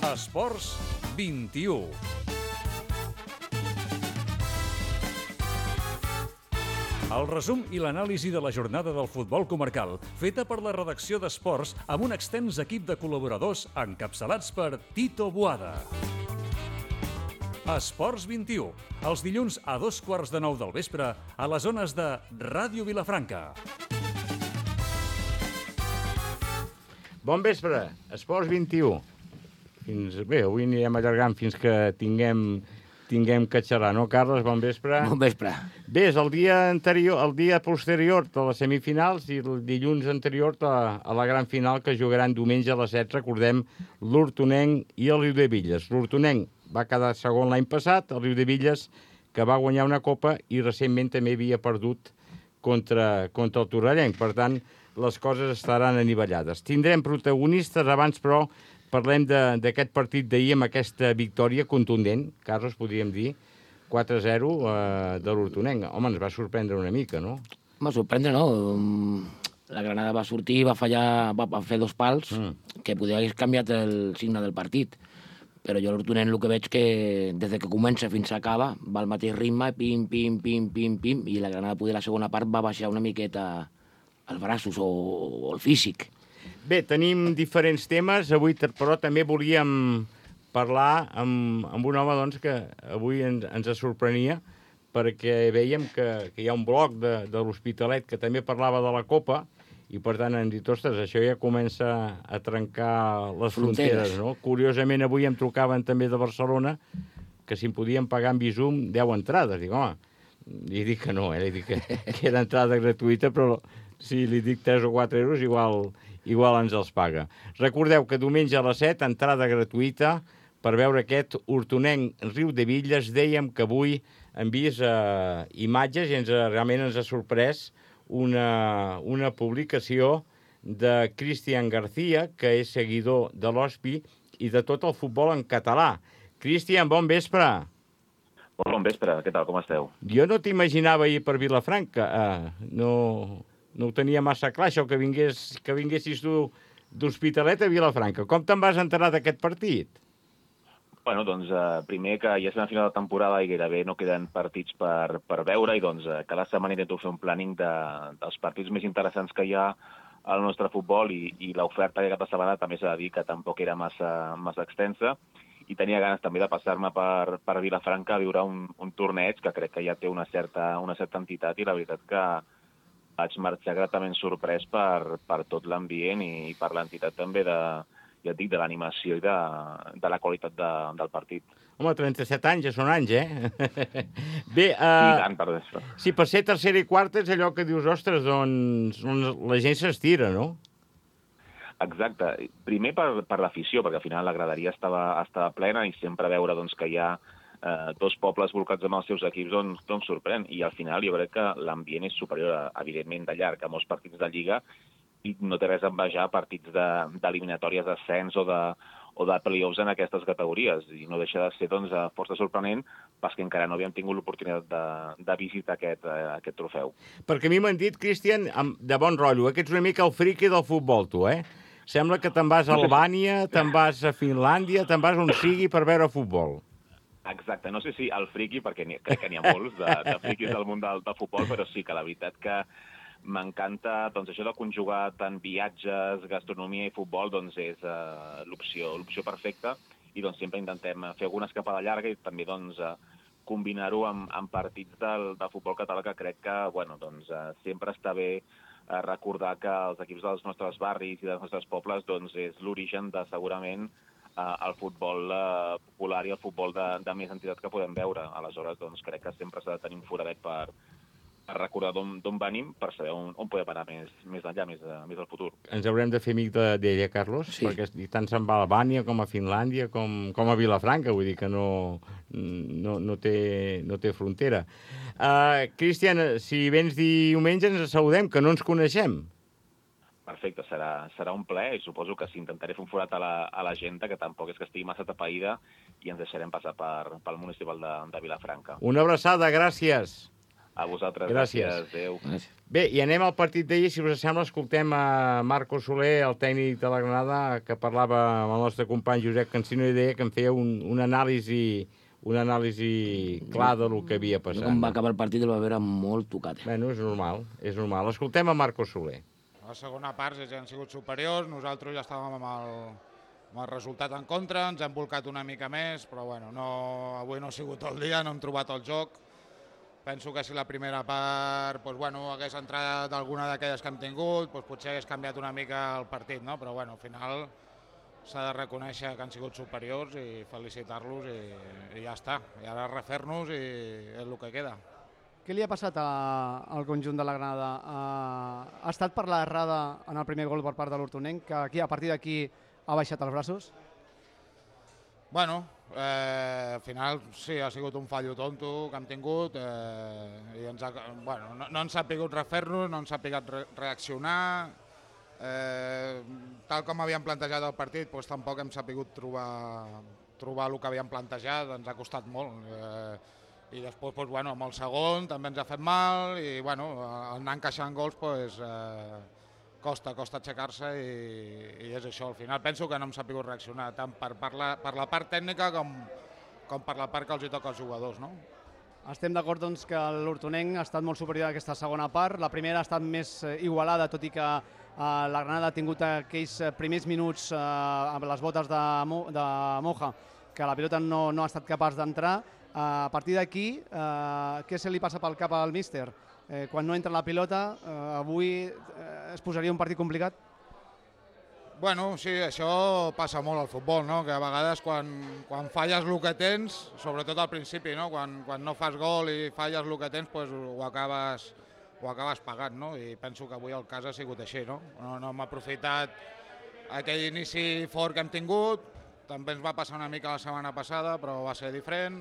Esports 21. El resum i l'anàlisi de la jornada del futbol comarcal, feta per la redacció d'Esports amb un extens equip de col·laboradors encapçalats per Tito Boada. Esports 21, els dilluns a 8:15 del vespre a les zones de Ràdio Vilafranca. Bon vespre, Esports 21. Bé, avui anirem allargant fins que tinguem que xerrar, no, Carles? Bon vespre. Bon vespre. Bé, és el dia posterior de les semifinals i el dilluns anterior a la gran final que jugaran diumenge a les 7, recordem, l'Hortonenc i el Riudebitlles. L'Hortonenc va quedar segon l'any passat, el Riudebitlles que va guanyar una copa i recentment també havia perdut contra el Torrellenc. Per tant, les coses estaran anivellades. Tindrem protagonistes, abans però parlem d'aquest partit d'ahir amb aquesta victòria contundent, Carles, podríem dir, 4-0 de l'Hortonenc. Home, ens va sorprendre una mica, no? Va sorprendre, no? La Granada va sortir, va fallar, va fer dos pals, que podia haver canviat el signe del partit. Però jo l'Hortonenc el que veig que des que comença fins que acaba va al mateix ritme, pim, pim, pim, pim, pim, i la Granada poder la segona part va baixar una miqueta els braços o el físic. Bé, tenim diferents temes, avui però també volíem parlar amb un home doncs, que avui ens sorprenia, perquè veiem que hi ha un blog de l'Hospitalet que també parlava de la Copa, i per tant hem dit, ostres, això ja comença a trencar les fronteres, no? Curiosament, avui em trucaven també de Barcelona que si em podien pagar en Bizum 10 entrades. Dic, home, li dic que no, li dic que era entrada gratuïta, però si li dic 3 o 4 euros, igual ens els paga. Recordeu que diumenge a les 7, entrada gratuïta per veure aquest Hortonenc Riudebitlles. Dèiem que avui hem vist imatges i realment ens ha sorprès una publicació de Cristian García, que és seguidor de l'Hospi i de tot el futbol en català. Cristian, bon vespre. Bon vespre, què tal, com esteu? Jo no t'imaginava ahir per Vilafranca. No ho tenia massa clar, això que vinguessis tu d'Hospitalet a Vilafranca. Com te'n vas enterar d'aquest partit? Bueno, doncs, primer que ja és una final de temporada i gairebé no queden partits per veure, i doncs cada setmana intento fer un planning dels partits més interessants que hi ha al nostre futbol, i l'oferta aquesta setmana també s'ha de dir que tampoc era massa extensa, i tenia ganes també de passar-me per Vilafranca a viure un torneig que crec que ja té una certa entitat, i la veritat que vaig marxar gratament sorprès per tot l'ambient i per l'entitat també ja et dic, de l'animació i de la qualitat del partit. Home, 37 anys ja són anys, Bé, I tant, per això. Sí, per ser tercera i quarta és allò que dius, ostres, doncs la gent s'estira, no? Exacte. Primer per l'afició, perquè al final la graderia estava plena, i sempre veure doncs, que hi ha dos pobles volcats amb els seus equips doncs sorprèn. I al final jo crec que l'ambient és superior, evidentment, de llarg a molts partits de Lliga, i no té res a envejar partits d'eliminatòries d'ascens o de play-offs en aquestes categories. I no deixa de ser doncs, força sorprenent, perquè encara no havíem tingut l'oportunitat de visitar aquest trofeu. Perquè a mi m'han dit, Cristian, de bon rotllo, que ets una mica el friqui del futbol, tu, Sembla que te'n vas a Albània, te'n vas a Finlàndia, te'n vas on sigui per veure futbol. Exacte, no sé si el friqui, perquè crec que n'hi ha molts de friquis del món del futbol, però sí que la veritat que m'encanta doncs, això de conjugar tant viatges, gastronomia i futbol, doncs és l'opció perfecta, i doncs sempre intentem fer alguna escapada llarga i també doncs, combinar-ho amb partits del futbol català, que crec que doncs, sempre està bé recordar que els equips dels nostres barris i dels nostres pobles doncs, és l'origen de segurament el futbol popular i el futbol de més entitat que podem veure. Aleshores, doncs, crec que sempre s'ha de tenir un foradet per recordar d'on venim, per saber on podem anar més enllà, més al futur. Ens haurem de fer amic d'ella, Carlos, sí. Perquè tant se'n va a Albània com a Finlàndia com a Vilafranca, vull dir que no té frontera. Cristian, si vens diumenge ens saludem, que no ens coneixem. Perfecte, serà un plaer, i suposo que intentaré fer un forat a l'agenda, que tampoc és que estigui massa tapaïda, i ens deixarem passar pel municipal de Vilafranca. Una abraçada, gràcies. A vosaltres, Gràcies. Adéu. Bé, i anem al partit d'ahir. Si us sembla, escoltem a Marco Soler, el tècnic de la Granada, que parlava amb el nostre company Josep Cansino i deia que en feia una anàlisi clar del que havia passat. Com va acabar el partit el va veure molt tocat. Bueno, és normal. Escoltem a Marco Soler. A la segona part ells han sigut superiors, nosaltres ja estàvem amb el resultat en contra, ens hem volcat una mica més, però bueno, avui no ha sigut el dia, no hem trobat el joc. Penso que si la primera part hagués entrat alguna d'aquelles que hem tingut, potser hagués canviat una mica el partit, no? Però bueno, al final s'ha de reconèixer que han sigut superiors i felicitar-los i ja està. I ara refer-nos i és el que queda. Què li ha passat al conjunt de la Granada? Ha estat per l'errada en el primer gol per part de l'Hortonenc, que a partir d'aquí ha baixat els braços? Bueno, al final sí, ha sigut un fallo tonto que hem tingut i no ens ha pogut refer-nos, no ens ha pogut reaccionar. Tal com havíem plantejat el partit, tampoc hem sabut trobar el que havíem plantejat, ens ha costat molt. I després, amb el segon també ens ha fet mal i anar encaixant gols costa aixecar-se i és això. Al final penso que no hem sabut reaccionar tant per la part tècnica com per la part que els hi toca als jugadors, no? Estem d'acord doncs, que l'Hortonenc ha estat molt superior a aquesta segona part. La primera ha estat més igualada, tot i que la Granada ha tingut aquells primers minuts amb les botes de Moja, que la pilota no ha estat capaç d'entrar. A partir d'aquí, què se li passa pel cap al míster? Quan no entra la pilota, avui es posaria un partit complicat? Bueno, sí, això passa molt al futbol, no? Que a vegades quan falles el que tens, sobretot al principi, no? Quan no fas gol i falles el que tens, ho acabes pagant, no? I penso que avui el cas ha sigut així, no? No hem aprofitat aquell inici fort que hem tingut, també ens va passar una mica la setmana passada, però va ser diferent,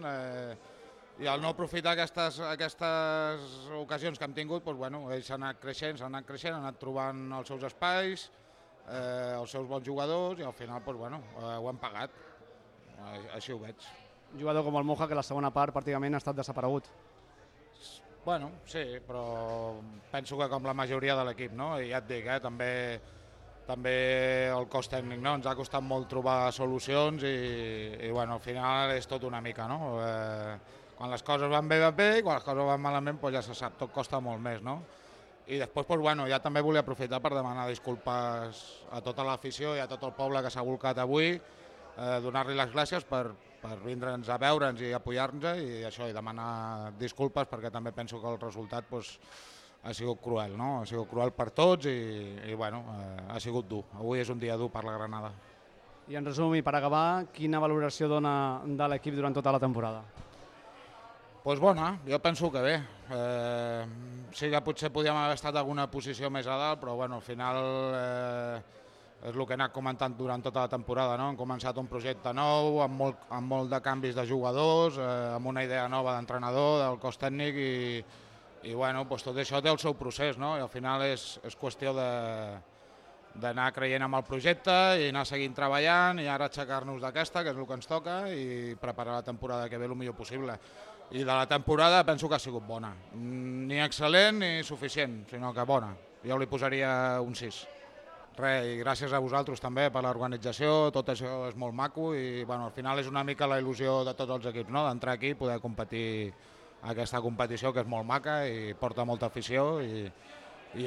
i al no aprofitar aquestes ocasions que hem tingut, ells han anat creixent, han anat trobant els seus espais, els seus bons jugadors, i al final ho hem pagat, així ho veig. Un jugador com el Moja, que la segona part pràcticament ha estat desaparegut. Bueno, sí, però penso que com la majoria de l'equip, no? I ja et dic, també el cos tècnic, no? Ens ha costat molt trobar solucions i al final és tot una mica, no? Quan les coses van bé, i quan les coses van malament, ja se sap, tot costa molt més, no? I després, ja també volia aprofitar per demanar disculpes a tota l'afició i a tot el poble que s'ha volcat avui, donar-li les gràcies per vindre'ns a veure'ns i apoyar-nos i això, i demanar disculpes perquè també penso que el resultat ha sigut cruel, no? Ha sigut cruel per tots i ha sigut dur. Avui és un dia dur per la Granada. I en resum, i per acabar, quina valoració dona de l'equip durant tota la temporada? Doncs bona, jo penso que bé. Sí que potser podíem haver estat en alguna posició més a dalt, però al final és el que he anat comentant durant tota la temporada, no? Hem començat un projecte nou, amb molt de canvis de jugadors, amb una idea nova d'entrenador, del cos tècnic i tot això té el seu procés, no? I al final és qüestió d'anar creient en el projecte i anar seguint treballant i ara aixecar-nos d'aquesta, que és el que ens toca, i preparar la temporada que ve el millor possible. I de la temporada penso que ha sigut bona. Ni excel·lent ni suficient, sinó que bona. Jo li posaria un 6. I gràcies a vosaltres també per l'organització, tot això és molt maco i al final és una mica la il·lusió de tots els equips, no? D'entrar aquí i poder competir aquesta competició que és molt maca i porta molta afició i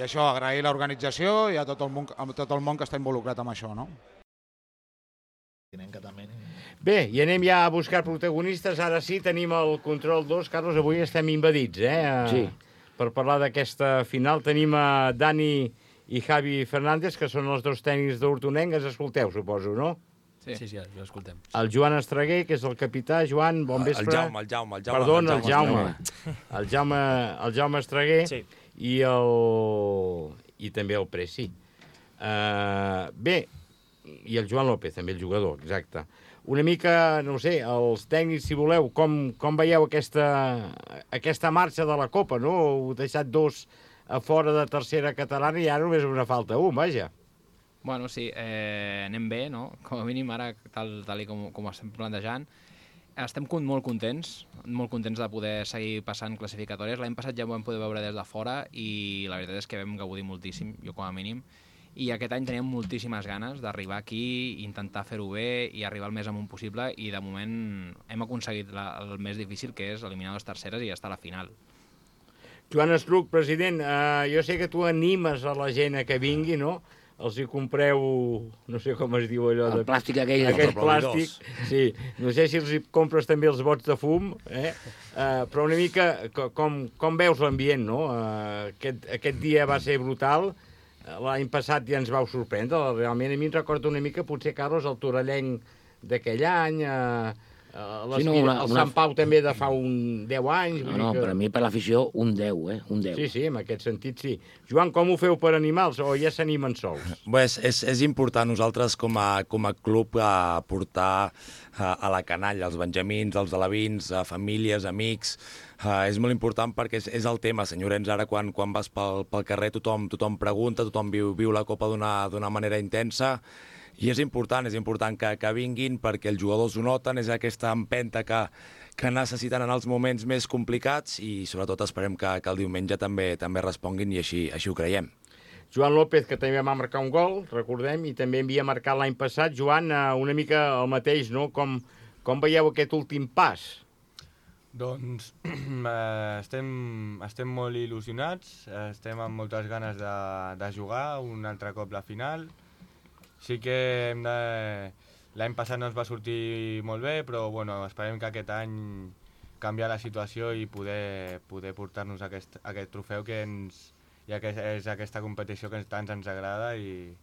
això, agrair l'organització i a tot el món que està involucrat amb això, no? Bé, i anem ja a buscar protagonistes. Ara sí, tenim el control 2. Carlos, avui estem invadits, Sí. Per parlar d'aquesta final tenim a Dani i Javi Fernández, que són els dos tècnics d'Hortonenc. Ens escolteu, suposo, no? Sí, ja escoltem. El Joan Estreguer, que és el capità. Joan, bon vespre. El Jaume. Perdona, el Jaume. El Jaume Estreguer. Sí. I també el Preci. Bé, i el Joan López, també el jugador, exacte. Una mica, no sé, els tècnics, si voleu, com veieu aquesta marxa de la Copa, no? Heu deixat 2 a fora de tercera catalana i ara només una falta 1, vaja. Bueno, sí, anem bé, no? Com a mínim ara, tal com ho estem plantejant. estem molt contents de poder seguir passant classificatòries. L'any passat ja ho vam poder veure des de fora i la veritat és que vam gaudir moltíssim, jo com a mínim, i aquest any teníem moltíssimes ganes d'arribar aquí, intentar fer-ho bé i arribar el més amunt possible, i de moment hem aconseguit el més difícil, que és eliminar les terceres i estar a la final. Joan Estruc, president, jo sé que tu animes a la gent a que vingui, no? Els hi compreu, no sé com es diu allò... El plàstic aquell. Aquest plàstic, sí. No sé si els hi compres també els bots de fum, però una mica com veus l'ambient, no? Aquest dia va ser brutal, l'any passat ja ens vau sorprendre, realment a mi em recorda una mica, potser, Carlos, el Torellenc d'aquell any, el Sant Pau també de fa 10 anys... No, per a mi, per l'afició, un 10, un 10. Sí, en aquest sentit, sí. Joan, com ho feu per animals o ja s'animen sols? Bé, és important nosaltres com a club portar a la canalla, els benjamins, els alevins, famílies, amics. És molt important perquè és el tema, senyor Llorenç. Ara quan vas pel carrer tothom pregunta, tothom viu la Copa d'una manera intensa. I és important que vinguin perquè els jugadors ho noten, és aquesta empenta que necessiten en els moments més complicats i sobretot esperem que el diumenge també responguin i així ho creiem. Joan López, que també va marcar un gol, recordem, i també havia marcat l'any passat. Joan, una mica el mateix, no? Com veieu aquest últim pas? Doncs estem molt il·lusionats, estem amb moltes ganes de jugar un altre cop la final. Sí que l'any passat no ens va sortir molt bé, però bueno, esperem que aquest any canviar la situació i poder portar-nos aquest trofeu que és aquesta competició que tant ens agrada i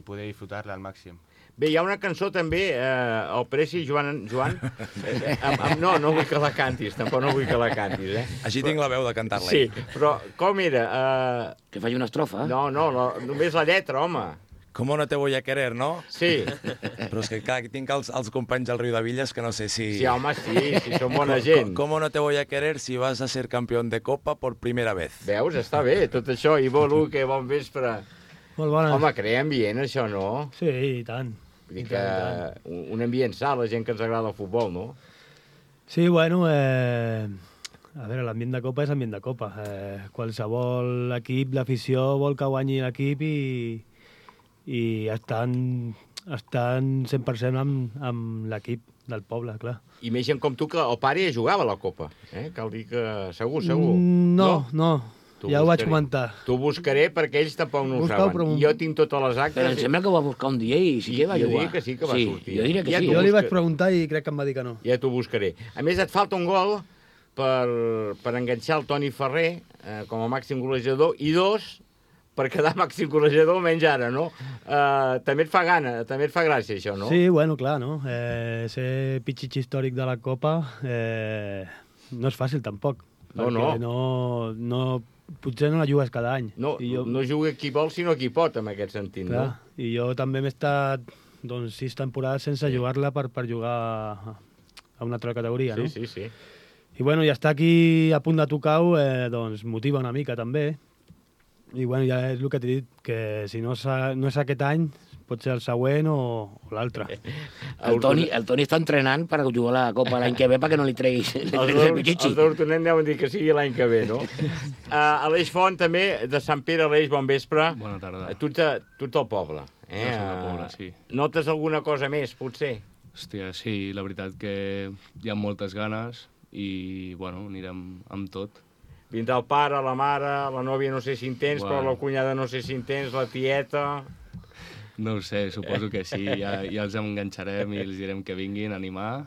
poder disfrutar-la al màxim. Bé, hi ha una cançó també, el Preci, Joan... No vull que la cantis, tampoc no vull que la cantis, Així tinc la veu de cantar-la. Sí, però com era? Que faci una estrofa? No, només la lletra, home. ¿Cómo no te voy a querer, no? Sí. Però és que, clar, tinc els companys del Riu de Villas que no sé si... Sí, home, sí, són bona gent. ¿Cómo no te voy a querer si vas a ser campeón de Copa por primera vez? Veus, està bé, tot això. Ivo Luque, bon vespre. Molt bona. Home, crea ambient, això, no? Sí, i tant. Vull dir que un ambient sa, la gent que ens agrada el futbol, no? Sí, bueno, a veure, l'ambient de Copa és ambient de Copa. Qualsevol equip, l'afició vol que guanyi l'equip i estan 100% amb l'equip del poble, clar. I més gent com tu, que el pare ja jugava a la Copa. Cal dir que segur. No. Ja ho vaig comentar. T'ho buscaré perquè ells tampoc no ho saben. Jo tinc totes les actes... Però em sembla que ho va buscar un dia i sí que va jugar. Jo diria que sí que va sortir. Jo diria que sí. Jo li vaig preguntar i crec que em va dir que no. Ja t'ho buscaré. A més, et falta un gol per enganxar el Toni Ferrer com a màxim golejador i 2 per quedar màxim golejador, menys ara, no? També et fa gana, també et fa gràcia, això, no? Sí, bueno, clar, no? Ser pitxitx històric de la Copa no és fàcil, tampoc. No, potser no la jugues cada any. No juga qui vol, sinó qui pot, en aquest sentit, clar, no? I jo també m'he estat 6 temporades sense jugar-la per jugar a una altra categoria, no? Sí. I bueno, ja estar aquí a punt de tocar-ho, doncs motiva una mica, també. I bueno, ja és el que t'he dit, que si no és aquest any, pot ser el següent o l'altre. El Toni està entrenant per jugar la Copa l'any que ve perquè no li treguis el pitxitxi. Els d'Hortonet deuen dir que sigui l'any que ve, no? Aleix Font, també, de Sant Pere. Aleix, bon vespre. Bona tarda. Tu ets del poble. Jo soc del poble, sí. Notes alguna cosa més, potser? Hòstia, sí, la veritat que hi ha moltes ganes i, bueno, anirem amb tot. Vindrà el pare, la mare, la nòvia no sé si en tens, però la cunyada no sé si en tens, la tieta... No ho sé, suposo que sí, ja els enganxarem i els direm que vinguin a animar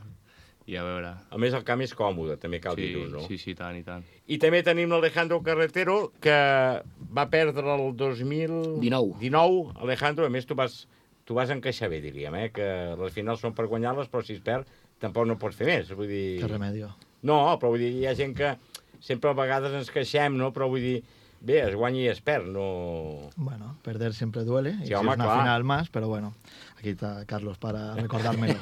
i a veure. A més, el camp és còmode, també cal dir-ho, no? Sí, tant, i tant. I també tenim l'Alejandro Carretero, que va perdre el 2019. Alejandro, a més, tu vas encaixar bé, diríem, que les finals són per guanyar-les, però si es perd tampoc no pots fer més, vull dir... Que remedio. No, però vull dir, hi ha gent que sempre a vegades ens queixem, no? Però vull dir, bé, es guanya i es perd, no... Bueno, perder siempre duele, sí, y home, es una final más, pero bueno, aquí está Carlos para recordármelo.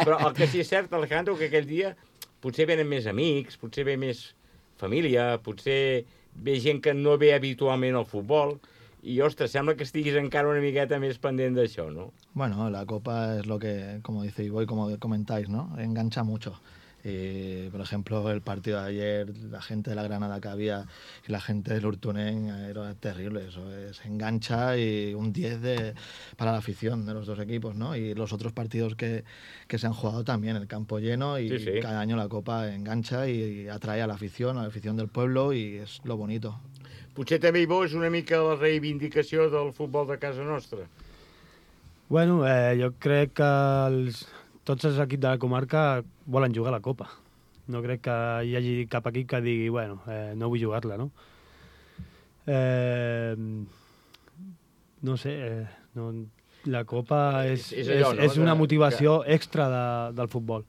Però el que sí és cert, Alejandro, que aquell dia potser venen més amics, potser ve més família, potser ve gent que no ve habitualment al futbol, i, ostres, sembla que estiguis encara una miqueta més pendent d'això, no? Bueno, la Copa es lo que, como dice Ivo y como comentáis, ¿no? Engancha mucho. Y, por ejemplo, el partido de ayer, la gente de la Granada que había y la gente del Urtunen era terrible. Eso es engancha y un 10 para la afición de los dos equipos, ¿no? Y los otros partidos que se han jugado también, el campo lleno y Sí. cada año la Copa engancha y atrae a la afición del pueblo y és lo bonito. Potser també hi veus una mica la reivindicació del futbol de casa nostra. Bueno, jo crec que tots els equips de la comarca volen jugar a la Copa. No crec que hi hagi cap equip que digui, bueno, no vull jugar-la, no? No sé, la Copa és allò, no? és una motivació extra del futbol.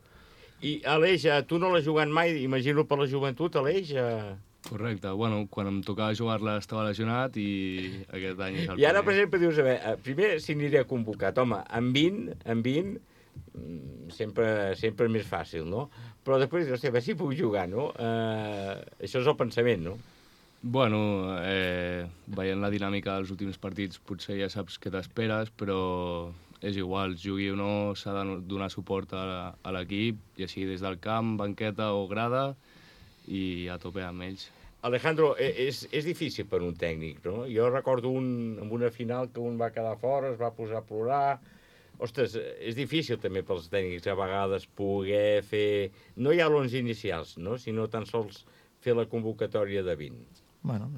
I, Aleix, tu no l'has jugat mai, imagino per la joventut, Aleix? Correcte. Bueno, quan em tocava jugar-la estava lesionat i aquest any és el I ara, per primer. exemple, dius, a veure, primer si aniré convocat. Home, amb 20, sempre és més fàcil, no? Però després dius, hòstia, a veure si puc jugar, no? Això és el pensament, no? Bueno, veient la dinàmica dels últims partits potser ja saps què t'esperes, però és igual, jugui o no, s'ha de donar suport a l'equip, ja sigui des del camp, banqueta o grada, i a tope amb ells. Alejandro, és difícil per un tècnic, no? Jo recordo en una final que un va quedar fora, es va posar a plorar. Ostres, és difícil també pels tècnics a vegades poder fer... No hi ha l'11 inicials, no? Sinó tan sols fer la convocatòria de 20. Bueno,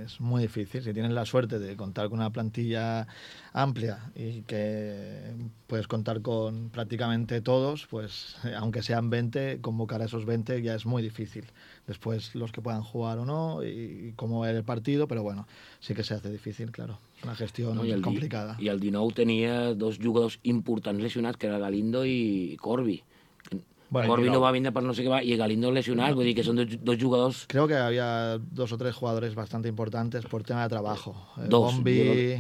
es muy difícil. Si tienes la suerte de contar con una plantilla amplia y que puedes contar con prácticamente todos, pues aunque sean 20, convocar a esos 20 ya es muy difícil. Después los que puedan jugar o no y cómo ver el partido, pero bueno, sí que se hace difícil, claro. Es una gestión complicada. I el 19 tenia dos jugadors importants lesionats, que era Galindo i Corbi. Bueno, Corbi no va vindre per no sé què va, i Galindo lesionat, vull dir que són dos jugadors... Creo que había 2 o 3 jugadores bastante importantes por tema de trabajo. Dos. Bombi...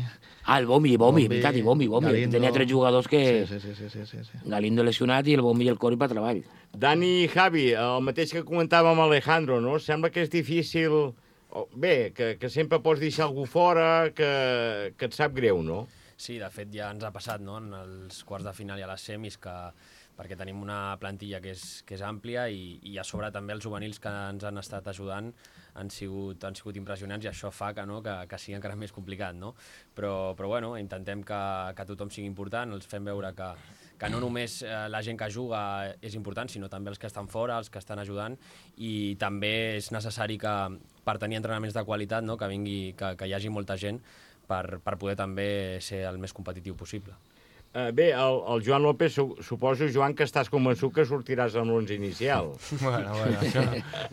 el Bombi, veritat, i Bombi. Galindo. Tenia 3 jugadors que... Sí. Galindo lesionat i el Bombi i el Corbi per treball. Dani i Javi, el mateix que comentàvem amb Alejandro, no? Sembla que és difícil... Bé, que sempre pots deixar algú fora, que et sap greu, no? Sí, de fet ja ens ha passat, no?, en els quarts de final i a les semis, perquè tenim una plantilla que és àmplia i a sobre també els juvenils que ens han estat ajudant han sigut impressionants i això fa que sigui encara més complicat, no? Però bueno, intentem que tothom sigui important, els fem veure que no només la gent que juga és important, sinó també els que estan fora, els que estan ajudant, i també és necessari que per tenir entrenaments de qualitat, no?, que hi hagi molta gent per poder també ser el més competitiu possible. Bé, el Joan López, suposo, Joan, que estàs convençut que sortiràs amb l'11 inicial. Bueno,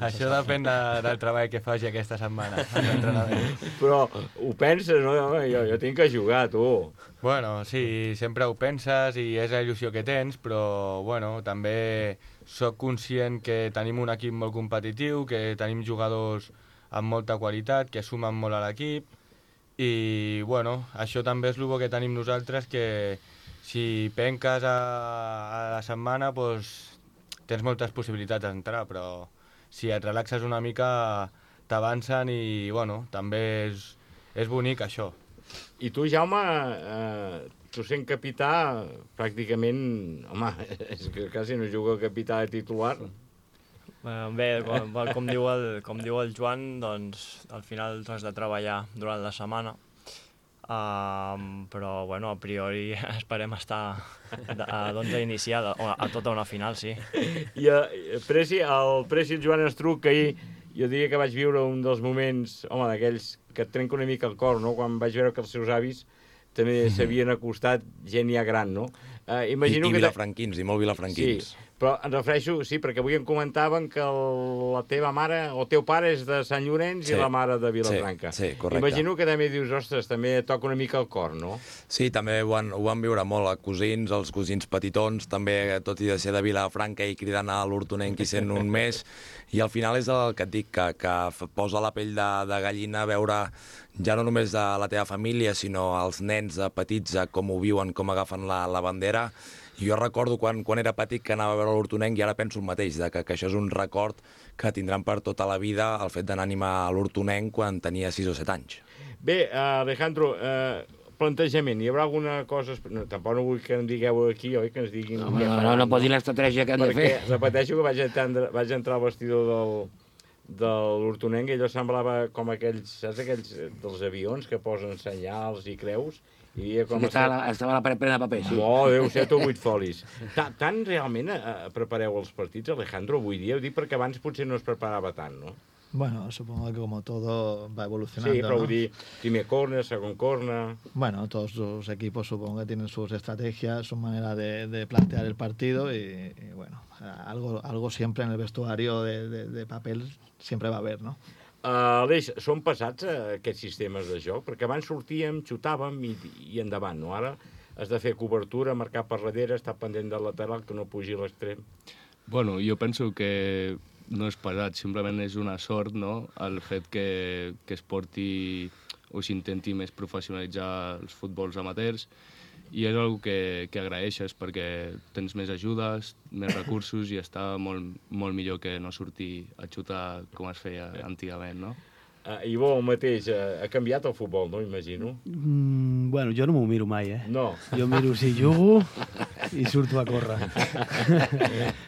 això depèn del treball que faci aquesta setmana. Però ho penses, no? Jo tinc que jugar, tu. Bueno, sí, sempre ho penses i és la il·lusió que tens, però bueno, també sóc conscient que tenim un equip molt competitiu, que tenim jugadors amb molta qualitat, que sumen molt a l'equip, i bueno, això també és el bo que tenim nosaltres, que si penques a la setmana, doncs, tens moltes possibilitats d'entrar, però si et relaxes una mica t'avancen i bueno, també és bonic això. I tu, Jaume, tu sent capità, pràcticament, home, és que quasi no juga el capità de titular. Bé, com diu el Joan, doncs al final has de treballar durant la setmana. Però bueno, a priori esperem estar a l'11 inicial, a tota una final, sí. I el Presi i el Joan Estruc, que ahir jo diria que vaig viure un dels moments, home, d'aquells que et trenca una mica el cor, no?, quan vaig veure que els seus avis també s'havien acostat gent ja gran, no? I vilafranquins, i molt vilafranquins. Sí, però em refereixo, sí, perquè avui em comentaven que la teva mare, o el teu pare és de Sant Llorenç i la mare de Vilafranca. Sí, correcte. Imagino que també dius, ostres, també toca una mica el cor, no? Sí, també ho van viure molt, els cosins petitons, també, tot i de ser de Vilafranca i cridant a l'hortonenc i sent un més, i al final és el que et dic, que posa la pell de gallina veure ja no només de la teva família, sinó els nens petits, com ho viuen, com agafen la bandera. I jo recordo quan era petit que anava a veure l'hortonenc i ara penso el mateix, que això és un record que tindran per tota la vida el fet d'anar a animar a l'hortonenc quan tenia 6 o 7 anys. Bé, Alejandro, plantejament, hi haurà alguna cosa... No, tampoc no vull que em digueu aquí, oi? Que ens diguin... No pot dir l'estratègia que han de fer. Perquè repeteixo que vaig entrar al vestidor de l'Hortonenc i allò semblava com aquells, saps, aquells dels avions que posen senyals i creus, i com estava la paret plena de paper, sí. Oh, 10, 7 o 8 folis. Tant realment prepareu els partits, Alejandro, avui dia? Ho dic perquè abans potser no es preparava tant, no? Bueno, supongo que como todo va evolucionando. Sí, pero ¿no? primer corner, segundo corner... Bueno, todos los equipos supongo que tienen sus estrategias, su manera de plantear el partido y bueno, algo siempre en el vestuario de papel siempre va a haber, ¿no? Aleix, són passats aquests sistemes de joc? Perquè abans sortíem, xutàvem i endavant, no? Ara has de fer cobertura, marcar per darrere, estar pendent del lateral, que no pugi a l'extrem. Bueno, jo penso que no és pesat, simplement és una sort, no?, el fet que es porti o s'intenti més professionalitzar els futbols amateurs, i és una que agraeixes perquè tens més ajudes, més recursos i està molt millor que no sortir a xutar com es feia antigament, no? Ivo, el mateix, ha canviat el futbol, no? Imagino. Bueno, jo no m'ho miro mai, eh? No. Jo miro si jugo i surto a córrer.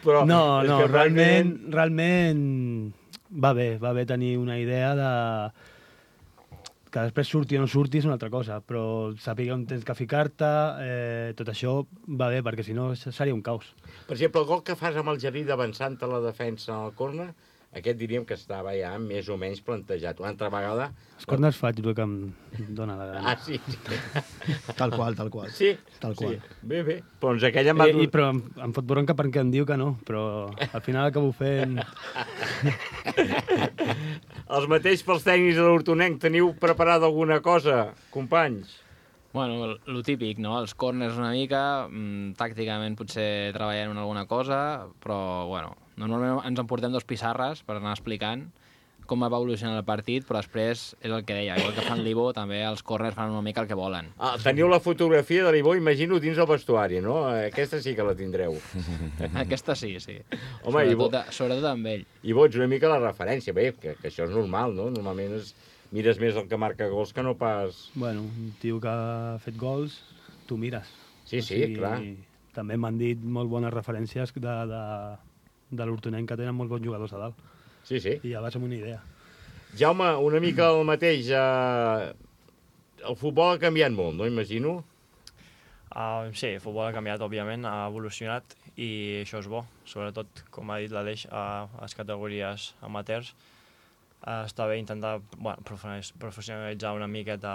Però no, realment va bé tenir una idea de... que després surti o no surti és una altra cosa, però sàpiga on tens que ficar-te, tot això va bé, perquè si no seria un caos. Per exemple, el gol que fas amb el Gerri d'avançant a la defensa al córner, aquest diríem que estava ja més o menys plantejat. Una altra vegada... Els corners faig el que em dóna la gana. Ah, sí. Tal qual. Sí? Tal qual. Sí. Bé. Doncs aquella em va... Però em fot bronca perquè em diu que no, però al final acabo fent... Els mateixos pels tècnics de l'Hortonenc, teniu preparada alguna cosa, companys? Bueno, lo típic, no? Els corners una mica, tàcticament potser treballant en alguna cosa, però, bueno, normalment ens emportem 2 pissarres per anar explicant com va evolucionar el partit, però després és el que deia, igual que fan l'Ivo, també els corners fan una mica el que volen. Teniu la fotografia de l'Ivo, imagino, dins el vestuari, no? Aquesta sí que la tindreu. Aquesta sí. Home, sobretot amb ell. Ivo, ets una mica la referència, bé, que això és normal, no? Normalment mires més el que marca gols que no pas... Bueno, un tio que ha fet gols, tu mires. Sí, clar. També m'han dit molt bones referències de l'Hortonenc, que tenen molts bons jugadors a dalt. Sí. I ja vas amb una idea. Jaume, una mica el mateix. El futbol ha canviat molt, no? Imagino. Sí, el futbol ha canviat, òbviament, ha evolucionat i això és bo. Sobretot, com ha dit l'Aleix, a les categories amateurs. Està bé intentar professionalitzar una miqueta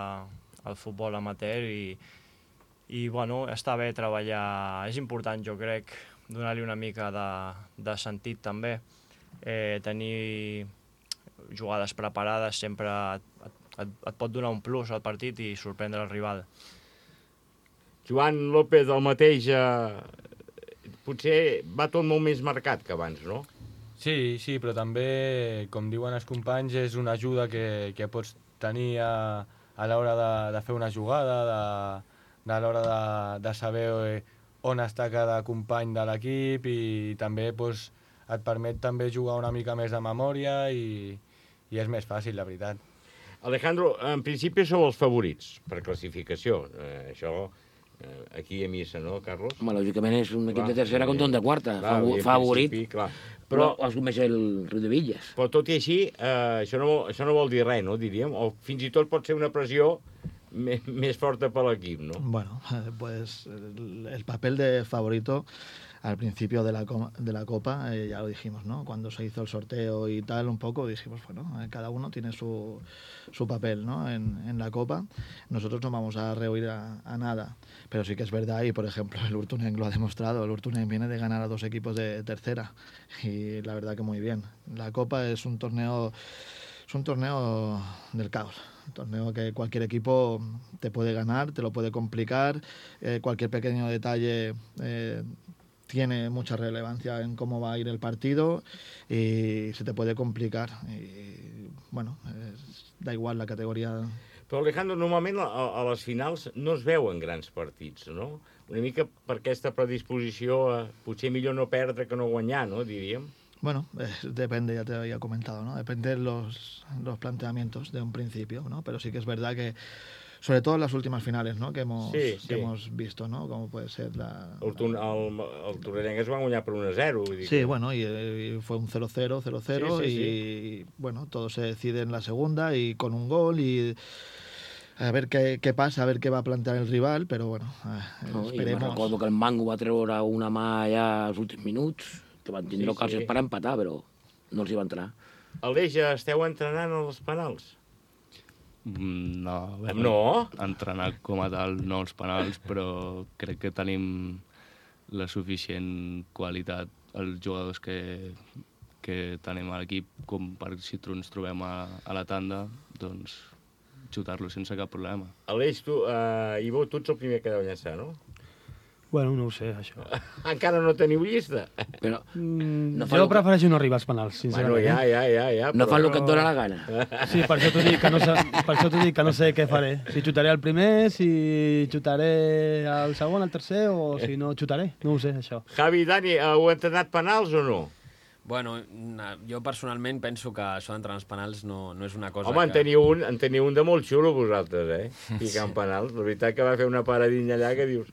el futbol amateur i bueno, està bé treballar. És important, jo crec, donar-li una mica de sentit també. Tenir jugades preparades sempre et pot donar un plus al partit i sorprendre el rival. Joan López, el mateix, potser va tot molt més marcat que abans, no? Sí, però també, com diuen els companys, és una ajuda que pots tenir a l'hora de fer una jugada, a l'hora de saber on està cada company de l'equip i també et permet també jugar una mica més de memòria i és més fàcil, la veritat. Alejandro, en principi sou els favorits per classificació. Això aquí a missa, no, Carlos? Home, lògicament és un equip de tercera contra un de quarta. Favorit. Però els coneix el Riudevillas. Però tot i així, això no vol dir res, no, diríem? O fins i tot pot ser una pressió més forta per l'equip, ¿no? Bueno, pues el papel de favorito al principio de la Copa, ya lo dijimos, ¿no? Cuando se hizo el sorteo y tal, un poco, dijimos, bueno, cada uno tiene su papel, ¿no? En la Copa. Nosotros no vamos a rehuir a nada, pero sí que es verdad, y por ejemplo el Hurtunenc lo ha demostrado, el Hurtunenc viene de ganar a 2 equipos de tercera, y la verdad que muy bien. La Copa es un torneo del caos. Un torneo que cualquier equipo te puede ganar, te lo puede complicar, cualquier pequeño detalle tiene mucha relevancia en cómo va a ir el partido y se te puede complicar. Y, bueno, da igual la categoria. Però, Alejandro, normalment a les finals no es veuen grans partits, no? Una mica per aquesta predisposició a potser millor no perdre que no guanyar, no, diríem? Bueno, depende, ya te había comentado, ¿no? Depende de los planteamientos de un principio, ¿no? Pero sí que es verdad que sobre todo en las últimas finales, ¿no? Que hemos visto, ¿no? Como puede ser el Torrellenc es va guanyar per 1-0. Sí, bueno, y fue un 0-0, 0-0 y bueno, todo se decide en la segunda y con un gol y a ver qué pasa, a ver qué va a plantear el rival, però bueno, esperemos. Jo recordo que el Mango va treure una mà ja als últims minuts, que van tindre ocasions per empatar, però no els hi va entrar. Aleix, esteu entrenant els penals? No. No? Entrenar com a tal, no els penals, però crec que tenim la suficient qualitat els jugadors que tenim a l'equip com per si ens trobem a la tanda, doncs xutar-lo sense cap problema. Aleix, Ivo, tu ets el primer que deu llançar, no? Bueno, no ho sé, això. Encara no teniu llista? Però jo prefereixo no arribar als penals, sincerament. Bueno, ja. No fas el que et dóna la gana. Sí, per això t'ho dic que no sé què faré. Si xutaré el primer, si xutaré el segon, el tercer, o si no xutaré. No ho sé, això. Javi i Dani, heu entrenat penals o no? Bueno, jo personalment penso que això d'entrar als penals no és una cosa Home, en teniu un de molt xulo, vosaltres, picant penals. La veritat que va fer una paradinha allà que dius,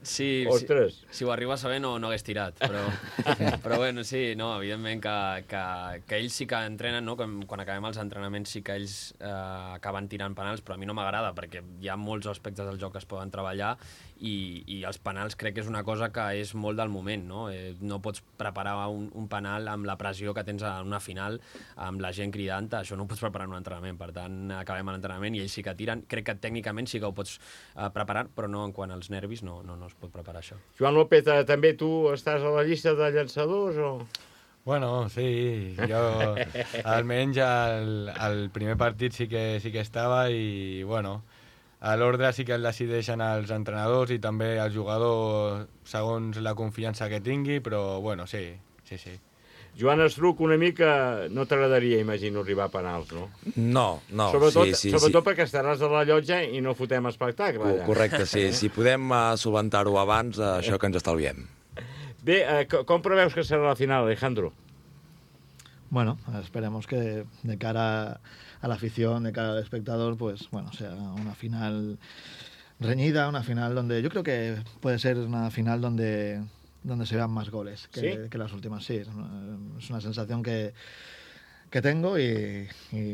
ostres. Si ho arriba a saber no hagués tirat, però bueno, sí, no, evidentment que ells sí que entrenen, no? Quan acabem els entrenaments sí que ells acaben tirant penals, però a mi no m'agrada, perquè hi ha molts aspectes del joc que es poden treballar i els penals crec que és una cosa que és molt del moment, no? No pots preparar un penal amb la pressió que tens en una final, amb la gent cridant, això no ho pots preparar en un entrenament. Per tant, acabem l'entrenament i ells sí que tiren. Crec que tècnicament sí que ho pots preparar, però no en quant als nervis no es pot preparar això. Joan López, també tu estàs a la llista de llançadors o...? Bueno, sí, jo almenys al primer partit sí que estava i, bueno, a l'ordre sí que el decideixen els entrenadors i també el jugador segons la confiança que tingui, però, bueno, sí. Joan Estruc, una mica no t'agradaria, imagino, arribar a penals, no? No. Sobretot perquè estaràs a la llotja i no fotem espectacle. Correcte, sí. Si podem solventar-ho abans, això que ens estalviem. Bé, com preveus que serà la final, Alejandro? Bueno, esperemos que de cara a la afición, de cara al espectador, pues bueno, sea una final reñida, una final donde yo creo que puede ser una final donde se vean más goles que las últimas. Sí, es una sensación que tengo y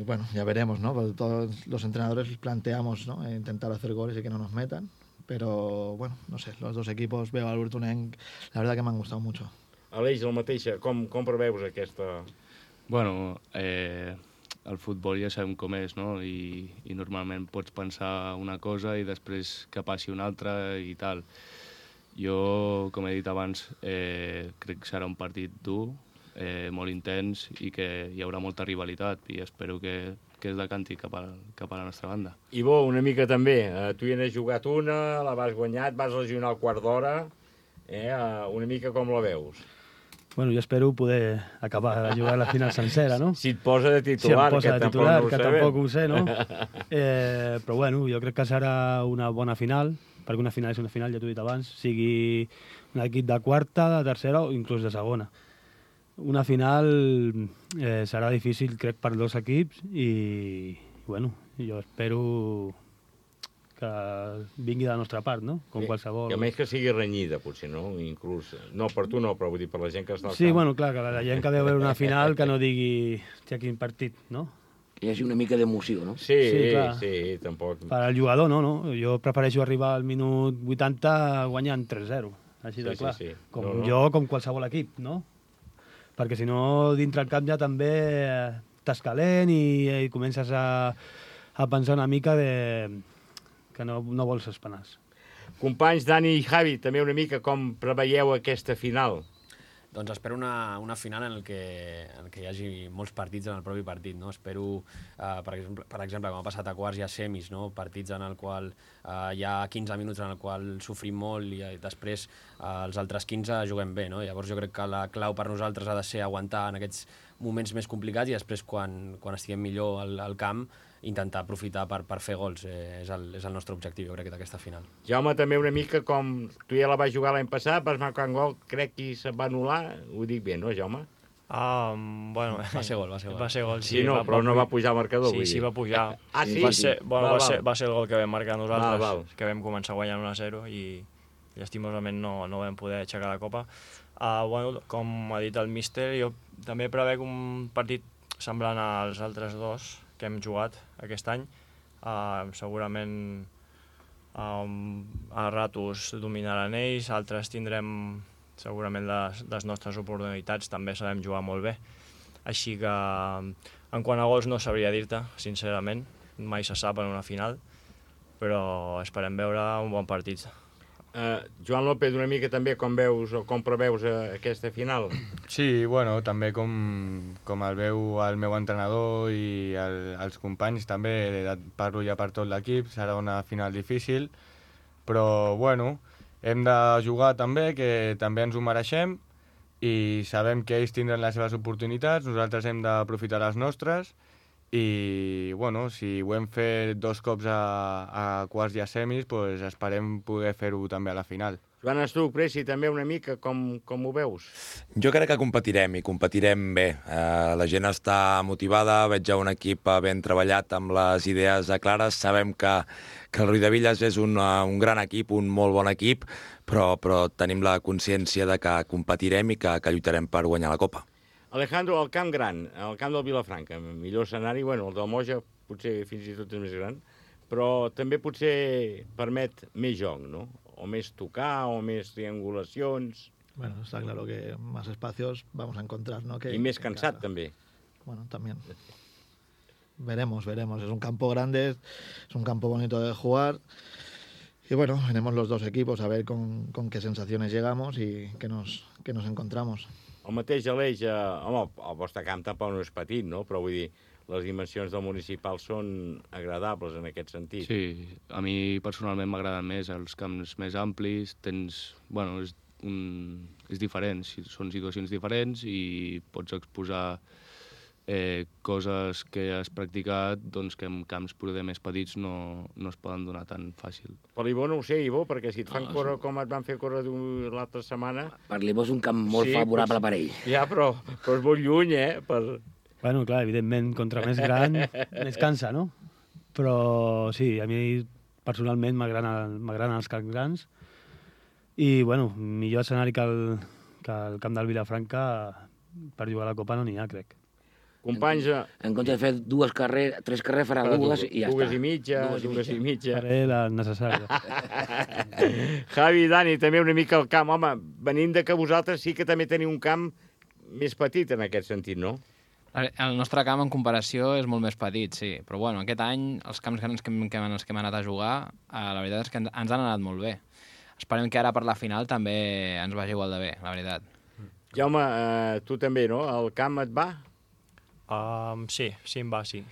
bueno, ya veremos, ¿no? Porque todos los entrenadores planteamos, ¿no? Intentar hacer goles y que no nos metan, pero bueno, no sé, los dos equipos, veo al Urtunenc, la verdad que me han gustado mucho. Aleix, el mateix, com preveus aquesta...? Bueno, el futbol ja sabem com és, no? I normalment pots pensar una cosa i després que passi una altra i tal. Jo, com he dit abans, crec que serà un partit dur, molt intens i que hi haurà molta rivalitat i espero que es decanti cap a la nostra banda. Ivo, una mica també. Tu hi n'has jugat una, la vas guanyar, et vas lesionar al quart d'hora. Una mica com la veus? Bueno, jo espero poder acabar de jugar la final sencera, no? Si et posa de titular, que tampoc ho sé, no? Però bueno, jo crec que serà una bona final, perquè una final és una final, ja t'ho he dit abans, sigui un equip de quarta, de tercera o inclús de segona. Una final serà difícil, crec, per dos equips i, bueno, jo espero que vingui de la nostra part, no? Com qualsevol... I almenys que sigui renyida, potser, no? Inclús... No, per tu no, però vull dir per la gent que està al camp. Sí, bueno, clar, que la gent que veu veure una final que no digui, hòstia, quin partit, no? Que hi hagi una mica d'emoció, no? Sí, tampoc. Per al jugador, no? Jo prefereixo arribar al minut 80 guanyant 3-0, així de clar. Com jo, com qualsevol equip, no? Perquè si no, dintre el camp ja també estàs calent i comences a pensar una mica que no vols els penals. Companys, Dani i Javi, també una mica com preveieu aquesta final? Doncs espero una final en què hi hagi molts partits en el propi partit, no? Espero, per exemple, com ha passat a quarts, hi ha semis, no? Partits en el qual hi ha 15 minuts en el qual sofrim molt i després els altres 15 juguem bé, no? Llavors jo crec que la clau per nosaltres ha de ser aguantar en aquests moments més complicats i després quan estiguem millor al camp intentar aprofitar per fer gols. És el nostre objectiu, jo crec, d'aquesta final. Jaume, també una mica com tu ja la vas jugar l'any passat, vas marcar un gol, crec que se't va anul·lar, ho dic bé, no, Jaume? Bueno, Va ser gol. Va ser gol, sí. Sí, no, però no va pujar al marcador, vull dir. Sí, va pujar. Sí? Va ser el gol que vam marcar nosaltres, Val. que vam començar guanyant 1-0 i llastimosament no vam poder aixecar la copa. Com ha dit el míster, jo també prevec un partit semblant als altres dos que hem jugat aquest any. Segurament a ratos dominaran ells, altres tindrem segurament les nostres oportunitats, també sabem jugar molt bé. Així que en quant a gols no sabria dir-te, sincerament, mai se sap en una final, però esperem veure un bon partit. Joan López, una mica també com veus o com preveus aquesta final? Sí, bueno, també com el veu el meu entrenador i els companys, també parlo ja per tot l'equip, serà una final difícil, però bueno, hem de jugar també, que també ens ho mereixem, i sabem que ells tindran les seves oportunitats, nosaltres hem d'aprofitar les nostres, i bueno, si ho hem fet 2 cops a quarts i a semis, doncs esperem poder fer-ho també a la final. Joan Estuc, Preci, també una mica, com ho veus? Jo crec que competirem, i competirem bé. La gent està motivada, veig un equip ben treballat amb les idees clares. Sabem que el Riudebitlles és un gran equip, un molt bon equip, però tenim la consciència de que competirem i que lluitarem per guanyar la Copa. Alejandro, el camp gran, el camp del Vilafranca, millor escenari, bueno, el del Moja potser fins i tot és més gran, però també potser permet més joc, ¿no? O més tocar, o més triangulacions... Bueno, está claro que más espacios vamos a encontrar, ¿no? Y més cansat, també. Bueno, también. Veremos. Es un campo grande, es un campo bonito de jugar. Y bueno, veremos los dos equipos a ver con qué sensaciones llegamos y qué nos encontramos. El mateix Aleix, home, el vostre camp tampoc no és petit, no? Però vull dir, les dimensions del municipal són agradables en aquest sentit. Sí, a mi personalment m'agraden més els camps més amplis, bueno, és diferent, són situacions diferents i pots exposar coses que has practicat doncs, que en camps poder més petits no es poden donar tan fàcil. Per l'Ibó no ho sé, Ibó, perquè si et fan córrer com et van fer córrer l'altra setmana... Per l'Ibó és un camp molt favorable per ell. Ja, però és molt lluny, Bueno, clar, evidentment, contra més gran, més cansa, no? Però sí, a mi personalment m'agraden els camps grans i, bueno, millor escenari que el camp del Vilafranca per jugar a la Copa no n'hi ha, crec. Companys... En compte de fer 3 carreres farà dues i ja està. Dues i mitja. Faré la necessària. Javi i Dani, també una mica el camp. Home, venint de que vosaltres sí que també teniu un camp més petit en aquest sentit, no? El nostre camp, en comparació, és molt més petit, sí. Però, bueno, aquest any, els camps grans que hem anat a jugar, la veritat és que ens han anat molt bé. Esperem que ara per la final també ens vagi igual de bé, la veritat. Jaume, tu també, no? El camp et va? Sí, em va, sí.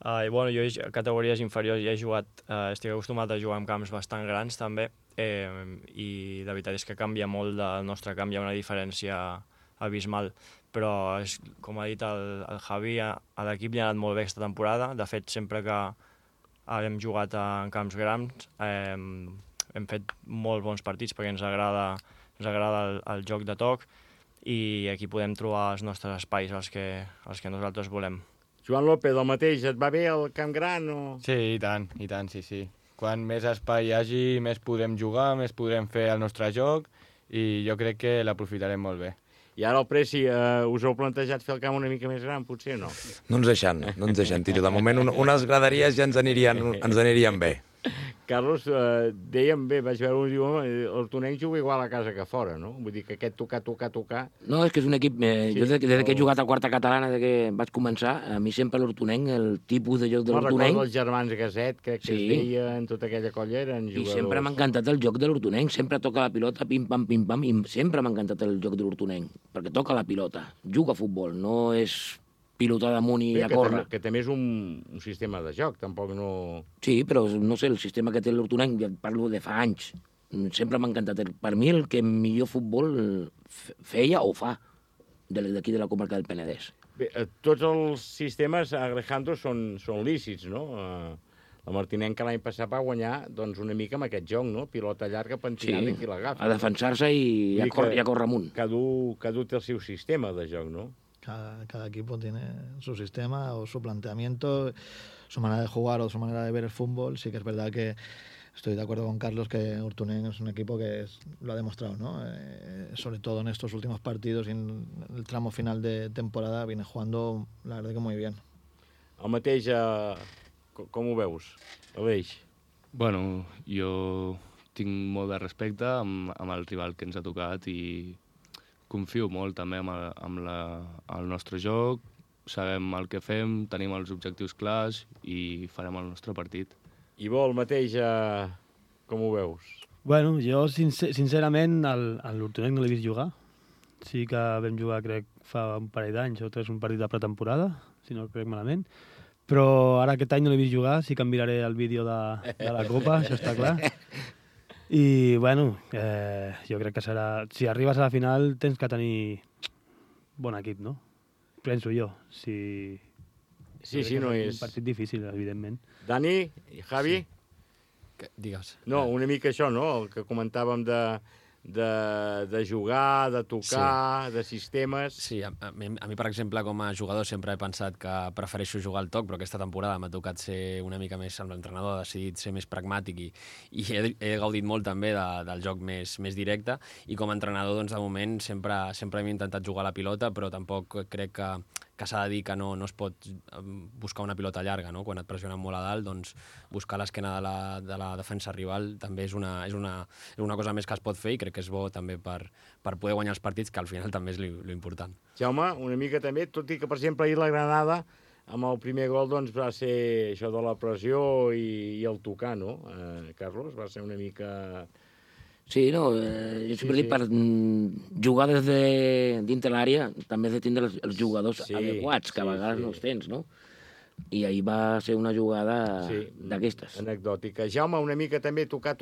Bueno, jo a categories inferiors ja he jugat, estic acostumat a jugar en camps bastant grans també, i la veritat és que canvia molt del nostre camp, hi ha una diferència abismal, però com ha dit el Javi, a l'equip li ha anat molt bé aquesta temporada. De fet, sempre que hem jugat en camps grans hem fet molt bons partits perquè ens agrada el joc de toc, i aquí podem trobar els nostres espais, els que nosaltres volem. Joan López, el mateix, et va bé el camp gran? Sí, i tant, sí. Quan més espai hi hagi, més podem jugar, més podrem fer el nostre joc, i jo crec que l'aprofitarem molt bé. I ara el Preci, us heu plantejat fer el camp una mica més gran, potser no? No ens deixen, tio. De moment, unes graderies ja ens anirien bé. Carlos, dèiem bé, vaig veure un diu, el Tonenc juga igual a casa que fora, no? Vull dir que aquest tocar... No, és que és un equip... Jo des que he jugat a quarta catalana, des que vaig començar, a mi sempre l'Hortonenc, el tipus de joc de l'Hortonenc... Recordo els germans Gaset, que es deia en tota aquella colla, eren jugadors... I sempre m'ha encantat el joc de l'Hortonenc, sempre toca la pilota, pim-pam, i sempre m'ha encantat el joc de l'Hortonenc, perquè toca la pilota, juga a futbol, no és... pilotar damunt i a córrer. Que també és un sistema de joc, tampoc no... Sí, però no sé, el sistema que té l'Hortonenc, ja parlo de fa anys, sempre m'ha encantat. Per mi el que millor futbol feia o fa d'aquí de la comarca del Penedès. Bé, tots els sistemes, Alejandro, són lícits, no? La Martinenca l'any passat va guanyar doncs, una mica amb aquest joc, no? Pilota llarga, pentinada i qui l'agafa. A defensar-se i a córrer amunt. Cada té el seu sistema de joc, no? Cada equipo tiene su sistema o su planteamiento, su manera de jugar o su manera de ver el fútbol. Sí que es verdad que estoy de acuerdo con Carlos que Urtunen es un equipo que lo ha demostrado, ¿no? Sobre todo en estos últimos partidos y en el tramo final de temporada viene jugando, la verdad que muy bien. El mateix, com ho veus, Aleix? Bueno, jo tinc molt de respecte amb el rival que ens ha tocat i confio molt també amb el nostre joc, sabem el que fem, tenim els objectius clars i farem el nostre partit. I vol, mateix, com ho veus? Bueno, jo sincerament a l'Hortonenc no l'he vist jugar. Sí que vam jugar, crec, fa un parell d'anys o tres, un partit de pretemporada, si no crec malament. Però ara aquest any no l'he vist jugar, sí que em miraré el vídeo de la Copa, això està clar. I, bueno, jo crec que serà... Si arribes a la final tens que tenir bon equip, no? Penso jo. Sí, no és... un partit difícil, evidentment. Dani i Javi? Digues. No, una mica això, no? El que comentàvem de jugar, de tocar, de sistemes... Sí, a mi, per exemple, com a jugador sempre he pensat que prefereixo jugar al toc, però aquesta temporada m'ha tocat ser una mica més amb l'entrenador, ha decidit ser més pragmàtic i he gaudit molt també del joc més directe, i com a entrenador, doncs, de moment, sempre hem intentat jugar a la pilota, però tampoc crec que s'ha de dir que no es pot buscar una pilota llarga, no? Quan et pressionen molt a dalt, doncs buscar l'esquena de la defensa rival també és una cosa més que es pot fer i crec que és bo també per poder guanyar els partits, que al final també és l'important. Jaume, una mica també, tot i que, per exemple, ahir la Granada, amb el primer gol, doncs, va ser això de la pressió i el tocar, no? Carlos, va ser una mica... Sí, no, jo sempre dic, per jugar des de dintre l'àrea també has de tindre els jugadors adequats, que a vegades no els tens, no? I ahir va ser una jugada d'aquestes. Anecdòtica. Jaume, una mica també tocar,